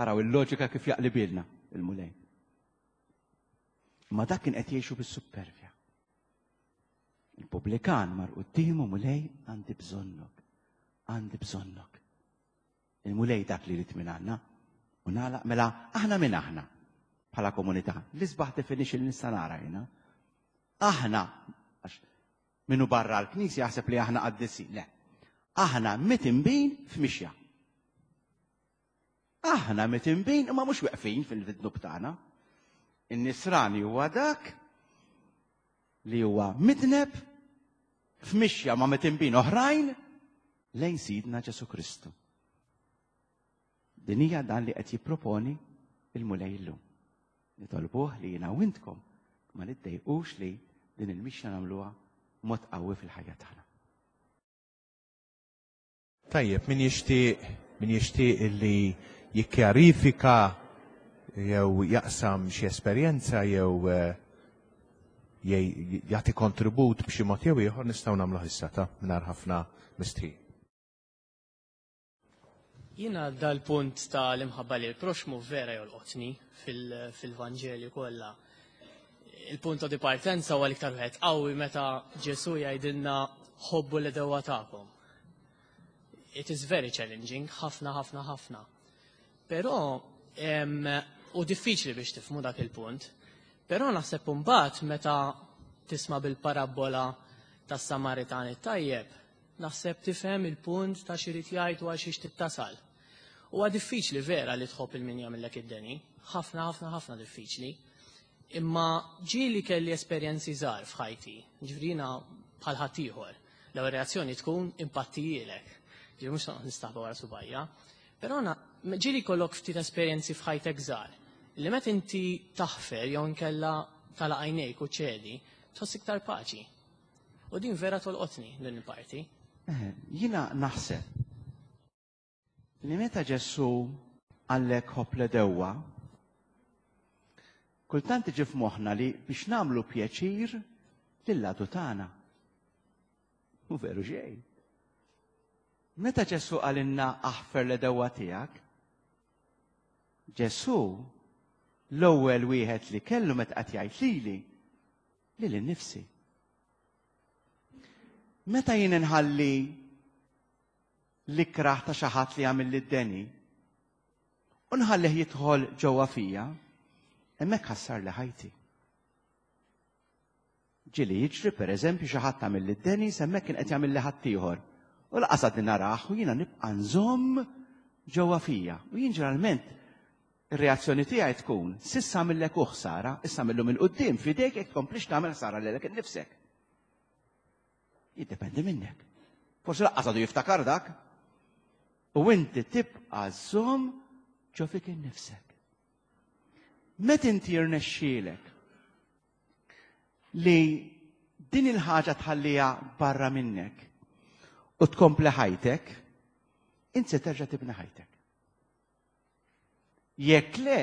A: Araw il-loġika kif jaqlibilna il-Mulej. Ma dak kien qed jgħixu bis-suppervja. Il-pubblikan mar quddiemu Mulej għandi bżonnok. Għandi bżonnok. Il-Mulej dak li jrid minn għandna. U nagħlaq mela aħna minn aħna bħala komunità. L-isbaħ definition li nista' nara jiena. Aħna għax minnu barra l-Knisja jaħseb li aħna qaddisin. Le. Aħna mitinbin f'mixja. Aħna mitinbin imma mhux weqfin fil-dnub tagħna. In-nisrani huwa dak li huwa midneb f'mixja ma' mitinbin oħrajn lejn Sidna Ġesu Kristu. Din hija dan li qed jipproponi il-Mulej illum. Nitolbuh li jiena u intkom ma niddejqux li din il-mixja nagħmluha mod qawwi fil-ħajja tagħna.
B: Tajjeb, min jixtieq min jixtieq illi jikkjarifika jew jaqsam xi esperjenza jew eh, jagħti kontribut b'xi mod jew ieħor nistgħu nagħmluh issa ta' mingħajr ħafna mistħi.
C: Jiena dal-punt ta' l-imħabba li l-proxmu vera jolqotni fil-Vanġelju kollha. Il-punt ta' dipartenza huwa l-iktar wieħed qawwi meta Ġesu jgħidilna ħobbu l-edewwa tagħkom. It is very challenging, ħafna, ħafna, ħafna. Però, u diffiċli biex tifmu dak il-punt, però naħseb mbagħad meta tisma' bil-parabbola tas-Samaritan it-tajjeb, naħseb tifhem il-punt ta' x'irid jgħid u għal xiex tittasal. Huwa diffiċli vera li tħobb il-min jagħmillek id-deni, ħafna, ħafna, ħafna diffiċli. Imma ġieli kelli esperjenzi żgħar f'ħajti, ġifieri jiena bħal ħaddieħor. L-ewwel reazzjoni tkun impattijielek. Ġifieri mhux noqgħod nistaħba wara subajja. Però ġieli jkollok ftit esperjenzi f'ħajtek żgħar li meta inti taħfer jew inkella tagħlaq għajnejk u ċedi, tħoss iktar paċi. U din vera tolqotni din il-parti.
A: Eh, jiena naħseb li meta Ġesù qallek ħobb l-għedewwa, kultant iġi f'moħħna li biex nagħmlu pjaċir lill-għadu tagħna. U veru xejn. Meta Ġesù qalilna aħfer l-għedewwa tiegħek, Ġesù l-ewwel wieħed li kellu meta qed jgħid lili lili nnifsi. Meta jien inħalli l-ikrah ta' xi ħadd li għamilli d-deni u nħallih jidħol ġewwa fija, hemmhekk ħassarli ħajti. Ġieli jiġri pereżempju xi ħadd għamilli d-deni hemmhekk kien qed jagħmilli ħaddieħor. U laqas għadni narah u jiena nibqa' nżomm ġewwa fija. U jien ġeneralment ir-reazzjoni tiegħi tkun s'issa għamillek hu ħsara, issa mill-lum 'il quddiem f'idejk jekk tkomplix tagħmel ħsara lilek innifsek. Jiddependi minnek. Forsi laqqas għadu jiftakar dak. U inti tibqa' żomm ġo fik innifsek. Met inti jirnexxielek li din il-ħaġa tħallija barra minnek u tkompli ħajtek, inti se terġa' tibni ħajtek. Jekk le,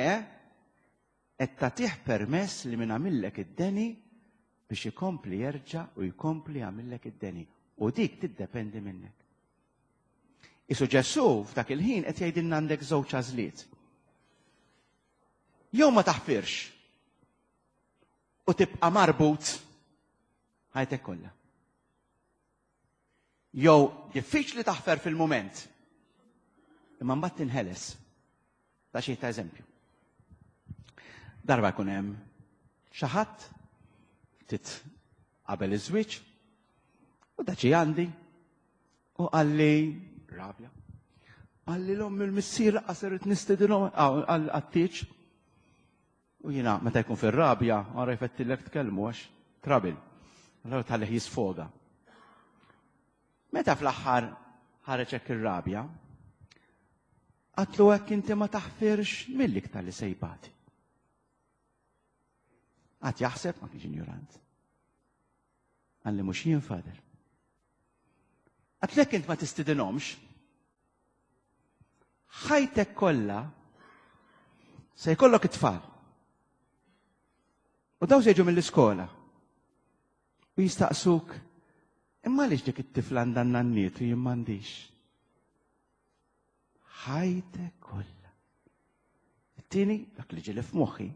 A: qed tagħtih permess li min għamillek id-deni biex ikompli jerġa' u jkompli jagħmillek id-deni. U dik tiddependi minnek. Isu Ġesù f'dak il-ħin qed jgħidilna għandek żewġ għażliet. Jew ma taħfirx u tibqa' marbut ħajtek kollha. Jew diffiċli taħfer fil-mument. Imma mbagħad tinħeles. Ta' xi ta' eżempju. Darba jkun hemm xi ħadd ftit qabel iż-żwieġ u daċi għandi u qalli Rabja. Qalli l-omm il-missier laqqas irrid nistedinhom għat-tieġ. U jiena meta jkun fir-rabja, għara jfettillek tkellmu għax trabil. Allora tħallih jisfoga. Meta fl-aħħar ħareġ hekk ir-rabja, għatlu hekk inti ma taħfirx mill-iktar li sejbati. Għad jaħseb ma kienx injurant. Għalli mhux jien fader. Għatlek int ma tistidinhomx, ħajtek kollha se jkollok it-tfal. U daw se jiġu mill-iskola. U jistaqsuk, imma għaliex dik it-tifla għandha n-nanniet u jien m'għandix? Ħajtek kollha. It-tieni, dak li ġieli f'moħħi,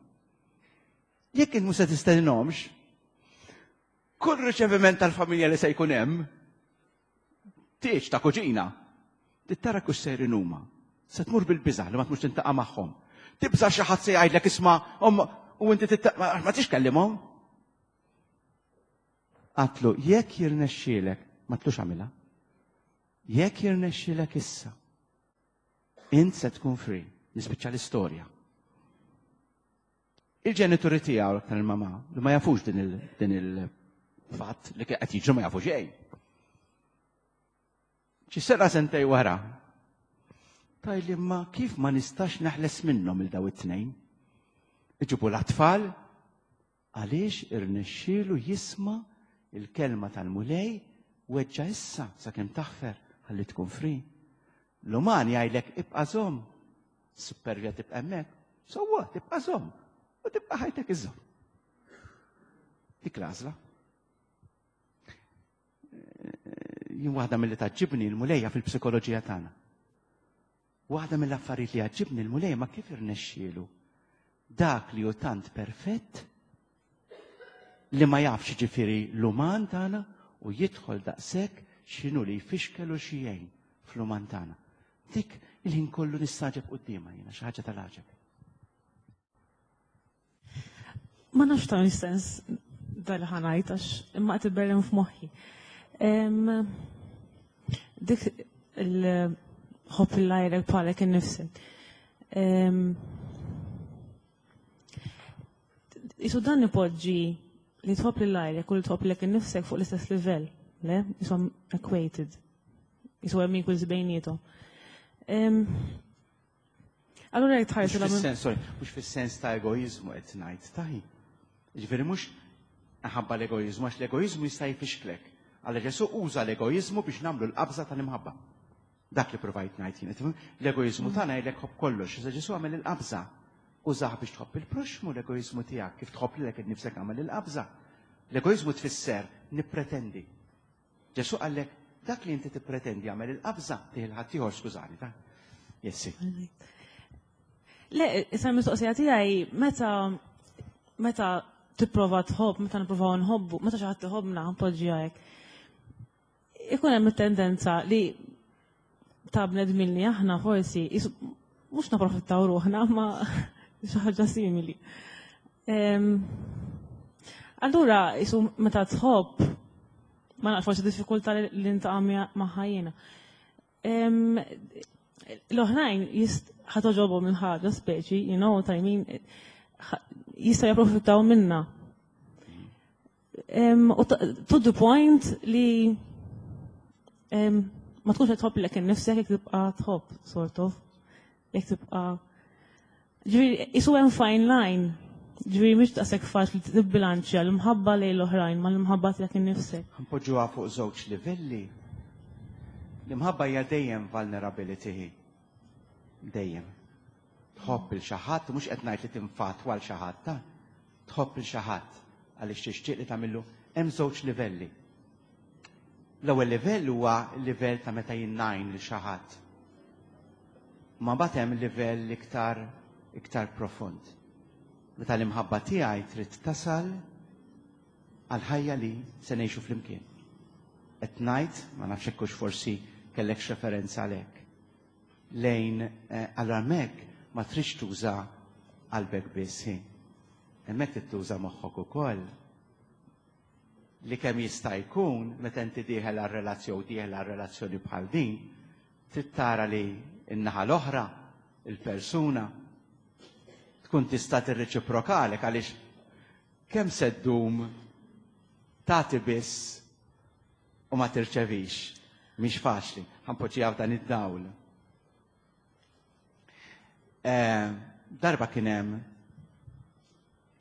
A: jekk int mhux se tistedinhomx, kull riċeviment tal-familja li se jkun hemm, tieġ ta' kuġina, tittara kux sejrin huma. Se tmur bil-biża' li ma tmurx tintaqa' magħhom. Tibża' xi ħadd se jgħidlek isma' u inti ma tix kellimhom. Għatlu, jekk jirnexxielek, ma tlux għamilha. Jekk jirnexxielek issa, int se tkun free, nispiċċa l-istorja. Il-ġenituri tiegħu aktar il-mama li ma jafux din il-fatt li qed jiġru ma jafu xejn. Xi sena sentej wara, tajli ma kif ma nistax naħles minnhom il daw it-tnejn. Iġibu l-atfal għaliex irnexxielu jisma' il-kelma tal-Mulej weġġa' issa sakemm taħfer ħalli tkun free. L-uman jgħidlek ibqa' żomm. Supervja tibqa' hemmhekk. So what, tibqa' żomm. U tibqa' ħajtek iżomm. Dik l-għażla. Jien waħda mill-li taġġibni l-Mulejja fil-psikoloġija tagħna. Waħda mill-affarijiet li jgħaġġibni l-Mulej ma kif irnexxielu dak li hu tant perfett li ma jafx ġifieri l-uman tagħna u jidħol daqshekk x'inhu li jfixkel u xi jgħin fl-uman tagħna. Dik il-ħin kollu nistaġeb quddiemha jiena xi ħaġa tal-għaġeb.
D: Ma nafx ta' sens dal-ħanajt għax imma qed iberren f'moħħi. Dik il-ħobb il-lajrek bħalek innifsek. Isu dan ipoġġi li tħobb lil għajrek u li tħobb lilek innifsek fuq l-istess livell, le? Isom equated. Isu hemm equals bejnietom. Allura jekk tħarsu
A: la Fis-sens, sorry, mhux fis-sens ta' egoiżmu qed ngħid, taħi. Jiġifieri mhux ħabba l-egoiżmu, għax l-egoiżmu jista' jfixklek. Alla Ġesù uża l-egoiżmu biex nagħmlu l-qabża tal-imħabba. Dak li provajt ngħid jien. L-egoiżmu mm. tagħna jgħidlek ħobb kollox, iżda Ġesù għamel il-qabża. Użah biex tħobb il-proxmu l-egoiżmu tiegħek, kif tħobb lilek innifsek għamel il-qabża. L-egoiżmu tfisser nippretendi. Ġesù qallek, dak li inti tippretendi għamel il-qabża tih il-ħaddieħor, skużani, ta' Jessi.
D: Le, issa mistoqsija tiegħi meta meta tipprova tħobb, meta nipprovaw nħobbu, meta xi ħadd iħobbna npoġġiha hekk. Ikun hemm it-tendenza li ta' bnedmin li aħna forsi mhux naprofittaw ruħna ma xi ħaġa simili. Allura, jisu meta tħobb, ma nafx forsi diffikultà li ntaqa' magħha jiena. L-oħrajn ħatoġobhom il-ħaġa speċi, you know what I mean, jista' japprofittaw minna. U to the point li ma tkunx qed tħobb lek innifsek jekk tibqa' tħobb, sort of. Jekk tibqa' Ġifieri isu hemm fine line. Ġifieri mhix daqshekk faċli tibbilanċja l-imħabba lejn l-oħrajn mal-imħabba tiegħek innifsek.
A: Npoġġuha fuq żewġ livelli. L-imħabba hija dejjem vulnerability. Dejjem. Tħobb il xi ħadd, mhux qed ngħid li tinfatwa għal xi ħadd, ta' tħobb il xi ħadd għaliex tixtieq li tagħmillu hemm żewġ livelli. L-ewwel livell huwa l-livell ta' meta jien ngħin lil xi ħadd. Ma mbagħad hemm livell iktar iktar profond. Meta l-imħabba tiegħi trid tasal għal ħajja li se ngħixu flimkien. Qed ngħid, ma nafx hekk forsi kellek referenza għalhekk. Lejn eh, allura hemmhekk ma tridx tuża qalbek biss. Hemmhekk trid tuża moħħok ukoll li kemm jista' jkun meta inti dieħel għal relazzjoni dieħel għal relazzjoni bħal din, Trid tara li n-naħa l-oħra, il-persuna, tkun tista' tirreċiprokalek għaliex kemm se ddum tagħti biss u ma tirċevix. Mhix faċli. Ħa npoġġiha f'dan id-dawl. Eh, darba kien hemm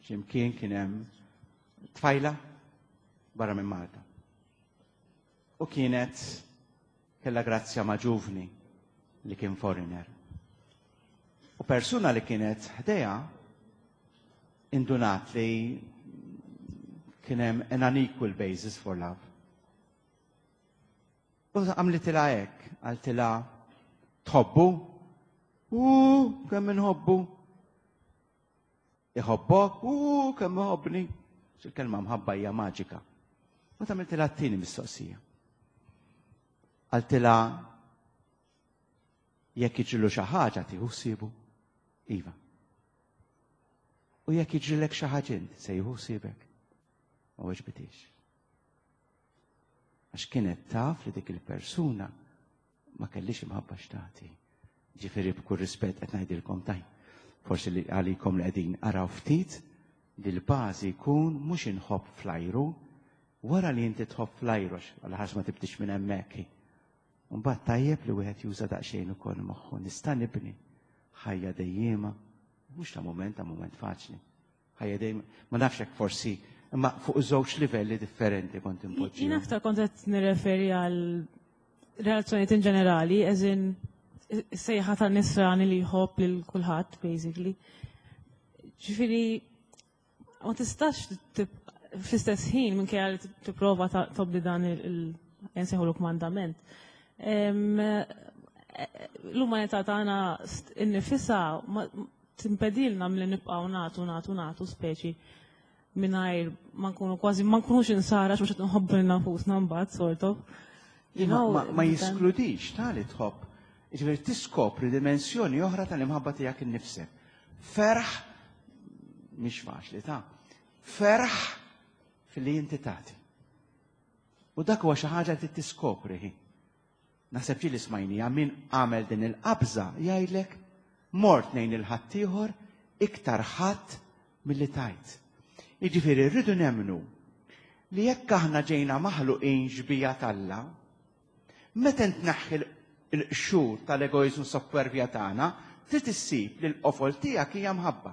A: x'imkien kien hemm tfajla barra minn Malta. U kienet kellha grazzja ma' ġuvni li kien foreigner. U persuna li kienet ħdejha indunat li kien hemm an unequal basis for love. U għamlitilha hekk, qaltilha tħobbu? U kemm inħobbu? Iħobbok? U kemm iħobbni? Il-kelma mħabba hija maġika. U tagħmiltilha t-tieni mistoqsija. Qaltilha jekk jiġrilu xi ħaġa tieħu ħsiebu? Iva. U jekk jiġrilek xi ħaġa int se jieħu ħsiebek? Ma weġbitix. Għax kienet taf li dik il-persuna ma kellix imħabba x'tagħti. Ġifieri b'kull rispett qed ngħidilkom taj. Forsi li għalikom li qegħdin araw ftit li l-bażi jkun mhux inħobb flajru, wara li inti tħobb flajru għal ħax ma tibdix minn hemmhekk. Mbagħad tajjeb li wieħed juża daqsxejn ukoll moħħu nista' nibni ħajja dejjiema, mhux ta' mument ta' mument faċli. Ħajja dejjem, ma nafx hekk forsi, imma fuq żewġ livelli differenti kont impoġġi.
D: Jien aktar kont qed nirreferi għal relazzjonijiet in ġenerali, as in sejħa ta' nisrani li jħobb lil kulħadd, basically. Ġifieri ma tistax fl-istess ħin minkejja li tipprova tobdi dan il-nsejħu kmandament. L-umanità tagħna innifisha timpedilna milli nibqgħu nagħtu nagħtu nagħtu speċi mingħajr ma nkunu kważi ma nkunux insara mhux qed nħobbu lil nafusna mbagħad sort of.
A: Ma jiskludix tali tħobb. Ġifieri tiskopri dimensjoni oħra tal-imħabba tiegħek innifsek. Ferħ mhix faċli ta' ferħ fil-li inti tagħti. U dak huwa xi ħaġa li tiskopri. Naħseb ġieli smajnija min għamel din il-qabża jgħidlek mort nejn il-ħaddieħor iktar ħadd milli tajt. Jiġifieri rridu nemmnu li jekk aħna ġejna maħluqin xbieha t'Alla, meta tneħħi l-qxur tal-egoizmu suppervja tagħna, trid issib li l-qofol tiegħek hija mħabba.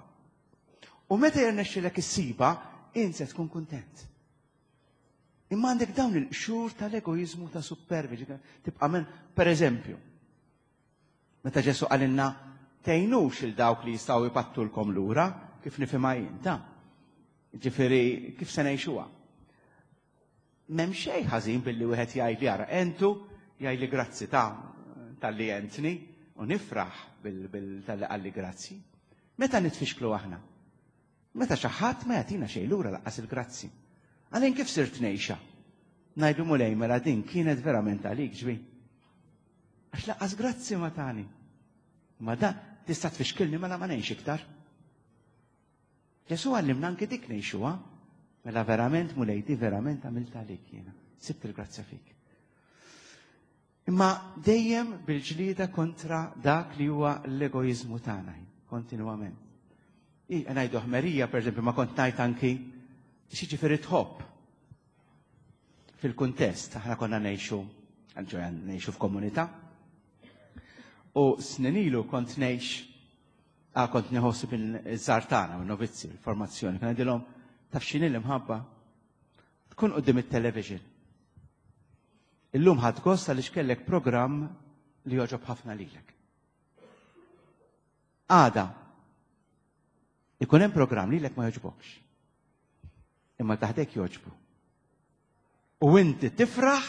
A: U meta jirnexxilek issibha, int se tkun kuntent. Imma għandek dawn il-qxur tal-egoizmu ta' suppervi, tibqa' men, per eżempju, meta Ġesu qalilna tgħinux il dawk li jistgħu jpattulkom lura, kif nifhimha jien, ta' ġifieri kif se ngħixuha. M'hemm xejn ħażin billi wieħed jgħid li ara entu, jgħid li grazzi ta' talli għentni u nifraħ bil talli qalli grazzi. Meta nitfixklu aħna? Meta xi ħadd ma jagħtina xejn lura lanqas il-grazzi. Għalin kif sirt ngħixha? Ngħidu Mulej mela din kienet verament għalik ġbi. Għax lanqas grazzi ma tani. Ma da tista' tfixkilni mela ma ngħix iktar. Ġesu għallimna anki dik ngħixuha. Mela verament Mulej di verament għamilt għalik jiena. Sibt il-grazzja fik. Imma dejjem bil-ġlida kontra dak li huwa l-egoizmu tagħna, kontinwament. Ngħidu ħmerija, per eżempju, ma kont ngħid anki x'jiġifieri tħobb. Fil-kuntest, aħna konna ngħixu, ġoja ngħixu f'komunità. U snin ilu kont ngħix, kont nieħu bil-żgħar tagħna, novizzi, il-formazzjoni, kien ngħidilhom taf x'inhi l-imħabba? Tkun quddiem it-television. Illum ħadt gost għaliex kellek programm li joġob ħafna lilek. Għada, ikun hemm programm lilek ma joġbokx. Imma taħdek joġbu. U inti tifraħ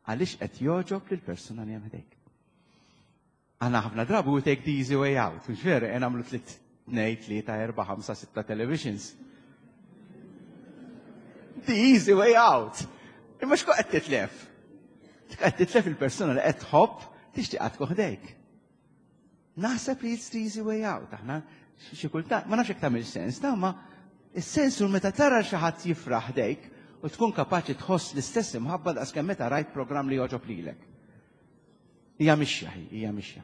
A: għaliex qed joġob lil persuna li hemm ħdejk. Aħna ħafna drabi we take the easy way out, mhux veru, qed nagħmlu tliet, tnejn, tlieta, erba', ħamsa, sitta televisions. The easy way out. Imma x'kont qed titlef? Qed titlef il-persuna li qed tħobb tixtieq tkun ħdejk. Naħseb li it's the easy way out. Aħna xi kultant, ma nafx jekk tagħmel sens, ta' ma is-sens hu meta tara xi ħadd jifraħ ħdejk u tkun kapaċi tħoss l-istess imħabba daqs kemm meta rajt programm li joġob lilek. Hija mixja, hija mixja.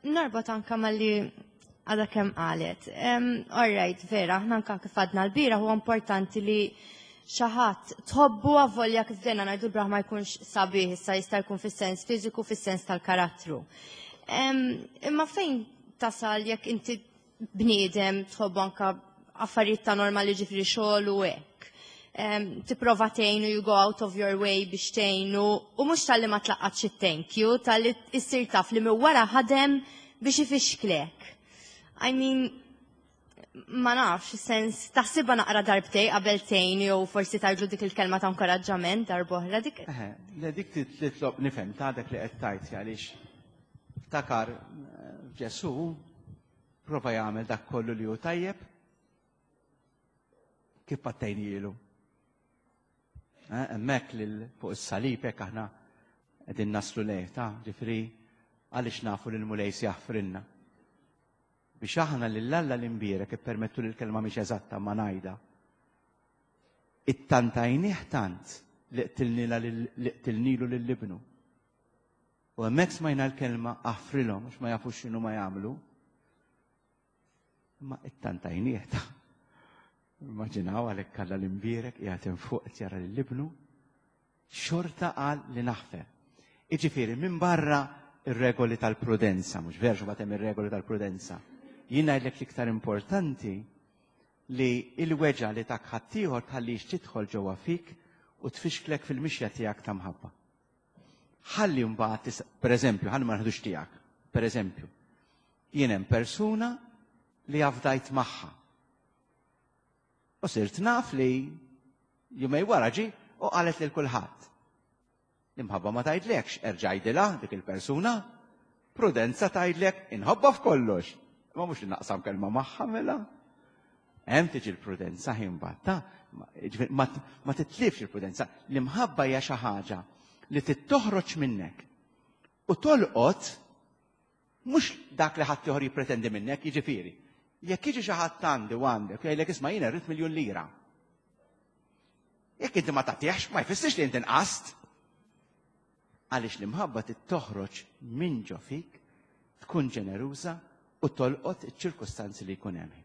E: Norbot anka malli għadha kemm qalet. All right, vera, aħna anka kif għadna l-bira huwa importanti li xi ħadd tħobbu avolja kif dejna ngħidu l ma jkunx sabiħ, issa jista' jkun fis-sens fiżiku, fis-sens tal-karattru. Imma fejn tasal jekk inti bniedem tħobbu anka affarijiet ta' normali ġifieri xogħol u hekk. Tipprova tgħinu, you go out of your way biex tgħinu, u mhux talli ma tlaqqatx it-thank you, talli issir taf li minn wara ħadem biex ifixklek. I mean, ma nafx, sens, taħsibha naqra darbtej qabel tgħin jew forsi tgħidlu dik il-kelma ta' inkoraġġament darb'oħra dik.
A: Eħe, le dik titlob nifhem ta' dak li qed tgħid għaliex ftakar Ġesù prova jagħmel dak kollu li hu tajjeb kif pattejnielu. Hemmhekk lil fuq is-salib hekk aħna qegħdin naslu lejh ta' ġifieri għaliex nafu li l-Mulej se jaħfrilna. Biex aħna lil Alla l-imbierek ippermettu li l-kelma mhix eżatta ma ngħidha. Ittantajnih tant li qtilnilu lil ibnu. U hemmhekk smajna l-kelma aħfrilhom għax ma jafux x'inhu ma jagħmlu. Imma ittantajnih ta' Immaġinaw għalhekk Alla l-imbierek qiegħed hemm fuq qed jara lil ibnu, xorta qal li naħfer. Jiġifieri minn barra ir-regoli tal-prudenza, mhux vera xi hemm ir-regoli tal-prudenza. Jien ngħidlek l-iktar importanti li l-weġgħa li tak ħaddieħor tħallix tidħol ġewwa fik u tfixklek fil-mixja tiegħek ta' mħabba. Ħalli mbagħad, pereżempju, ħalli ma naħdux tiegħek, pereżempju, jien hemm persuna li afdajt magħha. U sirt naf li jumej wara ġi u qalet lil kulħadd. L-imħabba ma tgħidlekx erġa' għidilha dik il-persuna. Prudenza tgħidlek inħobba f'kollox. Ma mhux li naqsam kelma magħha mela. Hemm tiġi l-prudenza ħin batta, ma titlifx il-prudenza. L-imħabba hija xi ħaġa li tittoħroġ minnek u tolqot mhux dak li ħadd ieħor jippretendi minnek, jiġifieri. Jekk jiġi xi ħadd għandi u għandek jgħidlek isma' jiena rrid miljun lira. Jekk inti ma tagħtihx, ma jfissirx li inti nqast. Għaliex l-imħabba tittoħroġ minn ġo fik, tkun ġeneruża u tolqot iċ-ċirkustanzi li jkun hemm.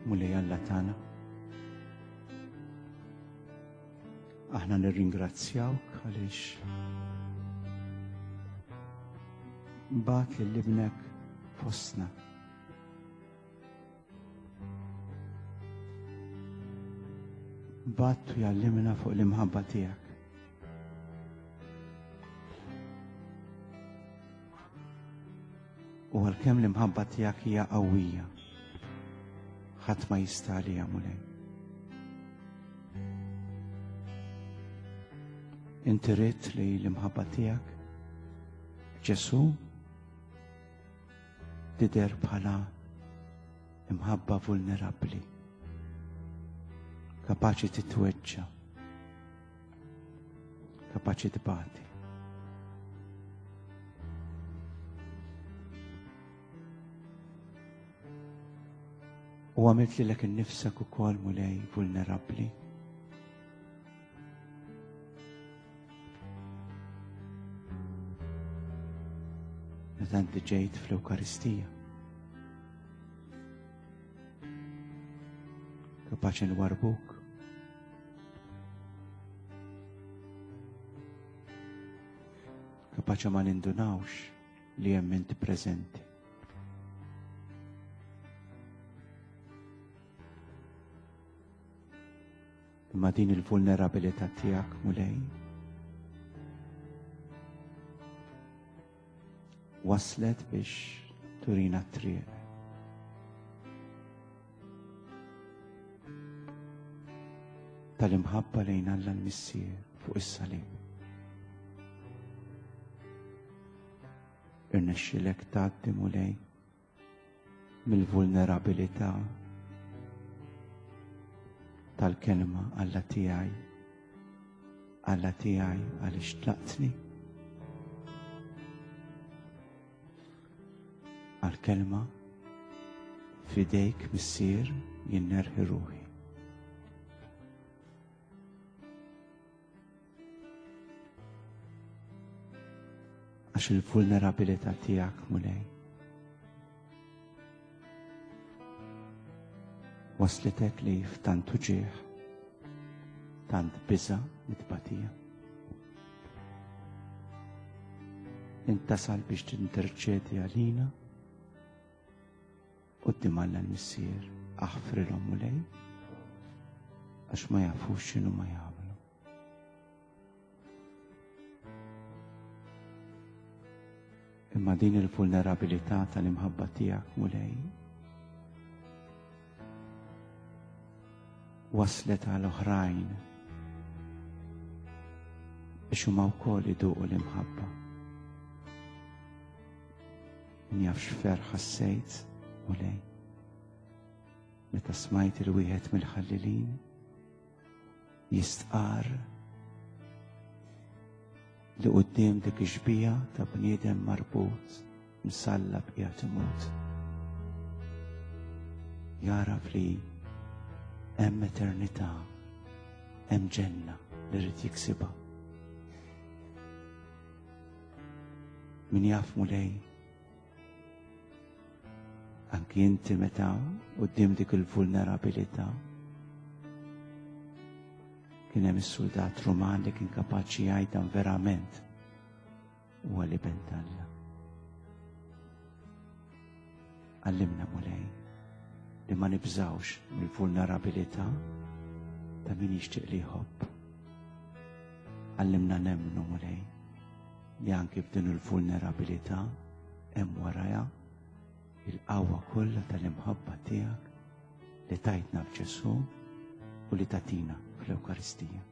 A: Mulej Alla tagħna. Aħna nirringrazzjawk għaliex bat lil ibnek fostna. Bat u jallimna fuq l-imħabba tiegħek. U għalkemm l-imħabba tiegħek hija qawwija, ħadd ma jista' għaliha Mulej. Inti ridt li l-imħabba tiegħek Ġesu tidher bħala imħabba vulnerabbli, kapaċi titweġġa, kapaċi tbati. U għamilt lilek innifsek ukoll Mulej vulnerabbli. Meta inti ġejt fl-Ewkaristija. Kapaċi nwarbuk. Kapaċi ma nindunawx li hemm inti preżenti. Imma din il-vulnerabilità tiegħek Mulej waslet biex turina t-triq. Tal-imħabba lejn Alla l-Missier fuq is-salib. Irnexxilek tgħaddi Mulej mill-vulnerabilità tal-kelma Alla tiegħi, Alla tiegħi għaliex tlaqtni. Għal-kelma fidejk missier jien nerħi ruħi. Għax il-vulnerabilità tiegħek Mulej waslitek li f'tant uġigħ, tant biża' mit-tbatija. Intasal biex tinterċedi għalina quddiem Alla l-Missier, aħfrilhom Mulej, għax ma jafux x'inhu ma jagħmlu. Imma din il-vulnerabilità tal-imħabba tiegħek Mulej waslet għal oħrajn biex huma wkoll iduqu l-imħabba. Min jaf x'ferħ ħassejt, Mulej, meta smajt il-wieħed mill-ħallilin jistqar li quddiem dik ix-xbieha ta' bniedem marbut msallab qiegħed imut. Jaraf li hemm eternità, hemm ġenna li rrid jiksibha. Min jaf Mulej, anki inti meta quddiem dik il-vulnerabilità kien hemm is-soldat Ruman li kien kapaċi jgħid dan verament huwa l-iben t'Alla. Għallimna Mulej li ma nibżawx mill-vulnerabilità ta' min jixtieq li jħobb. Għallimna nemmnu Mulej li anki f'din il-vulnerabilità hemm warajha il-qawwa kollha tal-imħabba tiegħek li tajtna f'Ġesù u li tatina fl-Ewkaristija.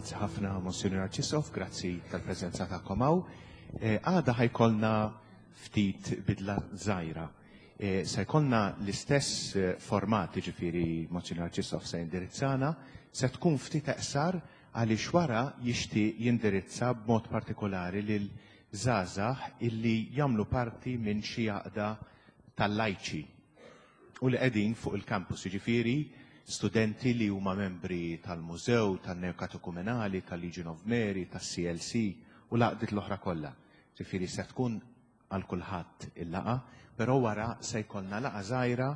B: Grazzi ħafna, Monsignor Arċisqof, grazzi tal-preżenza tagħkom hawn. Eh, għada ħa jkollna ftit bidla żgħira. Eh, se jkollna l-istess eh, format, ġifieri Monsignor Arċisqof se jindirizzana, se tkun ftit eqsar għaliex wara jixtieq jindirizza b'mod partikolari lil żgħażagħ illi jagħmlu parti minn xi għaqda tal-lajċi u li qegħdin fuq il-campus, jiġifieri studenti li huma membri tal-Mużew, tan-Neokatekumenali, tal-Legion of Mary, tas-CLC u l-għaqdiet l-oħra kollha. Ġifieri se tkun għal kulħadd il-laqgħa, però wara se jkollna laqgħa żgħira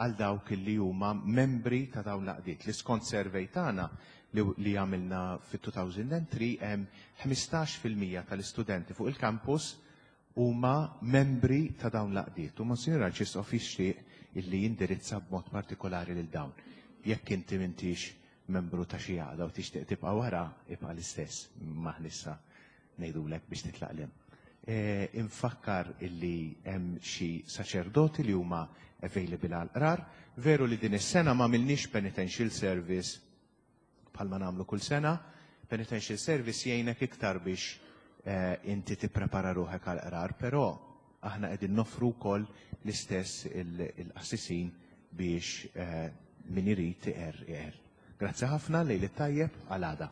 B: għal dawk li huma membri ta' dawn l-għaqdiet. Li skont survey tagħna li għamilna fit-2003 hemm 15% tal-istudenti fuq il-campus huma membri ta' dawn l-għaqdiet. U Monsignor Arċisqof jixtieq illi jindirizza b'mod partikolari lil dawn. Jekk inti m'intix membru ta' xi għaqda u tixtieq tibqa' wara, ibqa' l-istess, m'aħniex ngħidulek biex titlaq lem. E, infakkar illi hemm xi saċerdoti li huma available għal qrar. Veru li din is-sena ma għamilniex penitential service bħalma nagħmlu kull sena. Penitential service jgħinek iktar biex inti tipprepara ruħek għal qrar, però aħna qegħdin noffru wkoll l-istess il-qassisin biex min irid iqer iqer. Grazzi ħafna, lejl it-tajjeb, għal għada.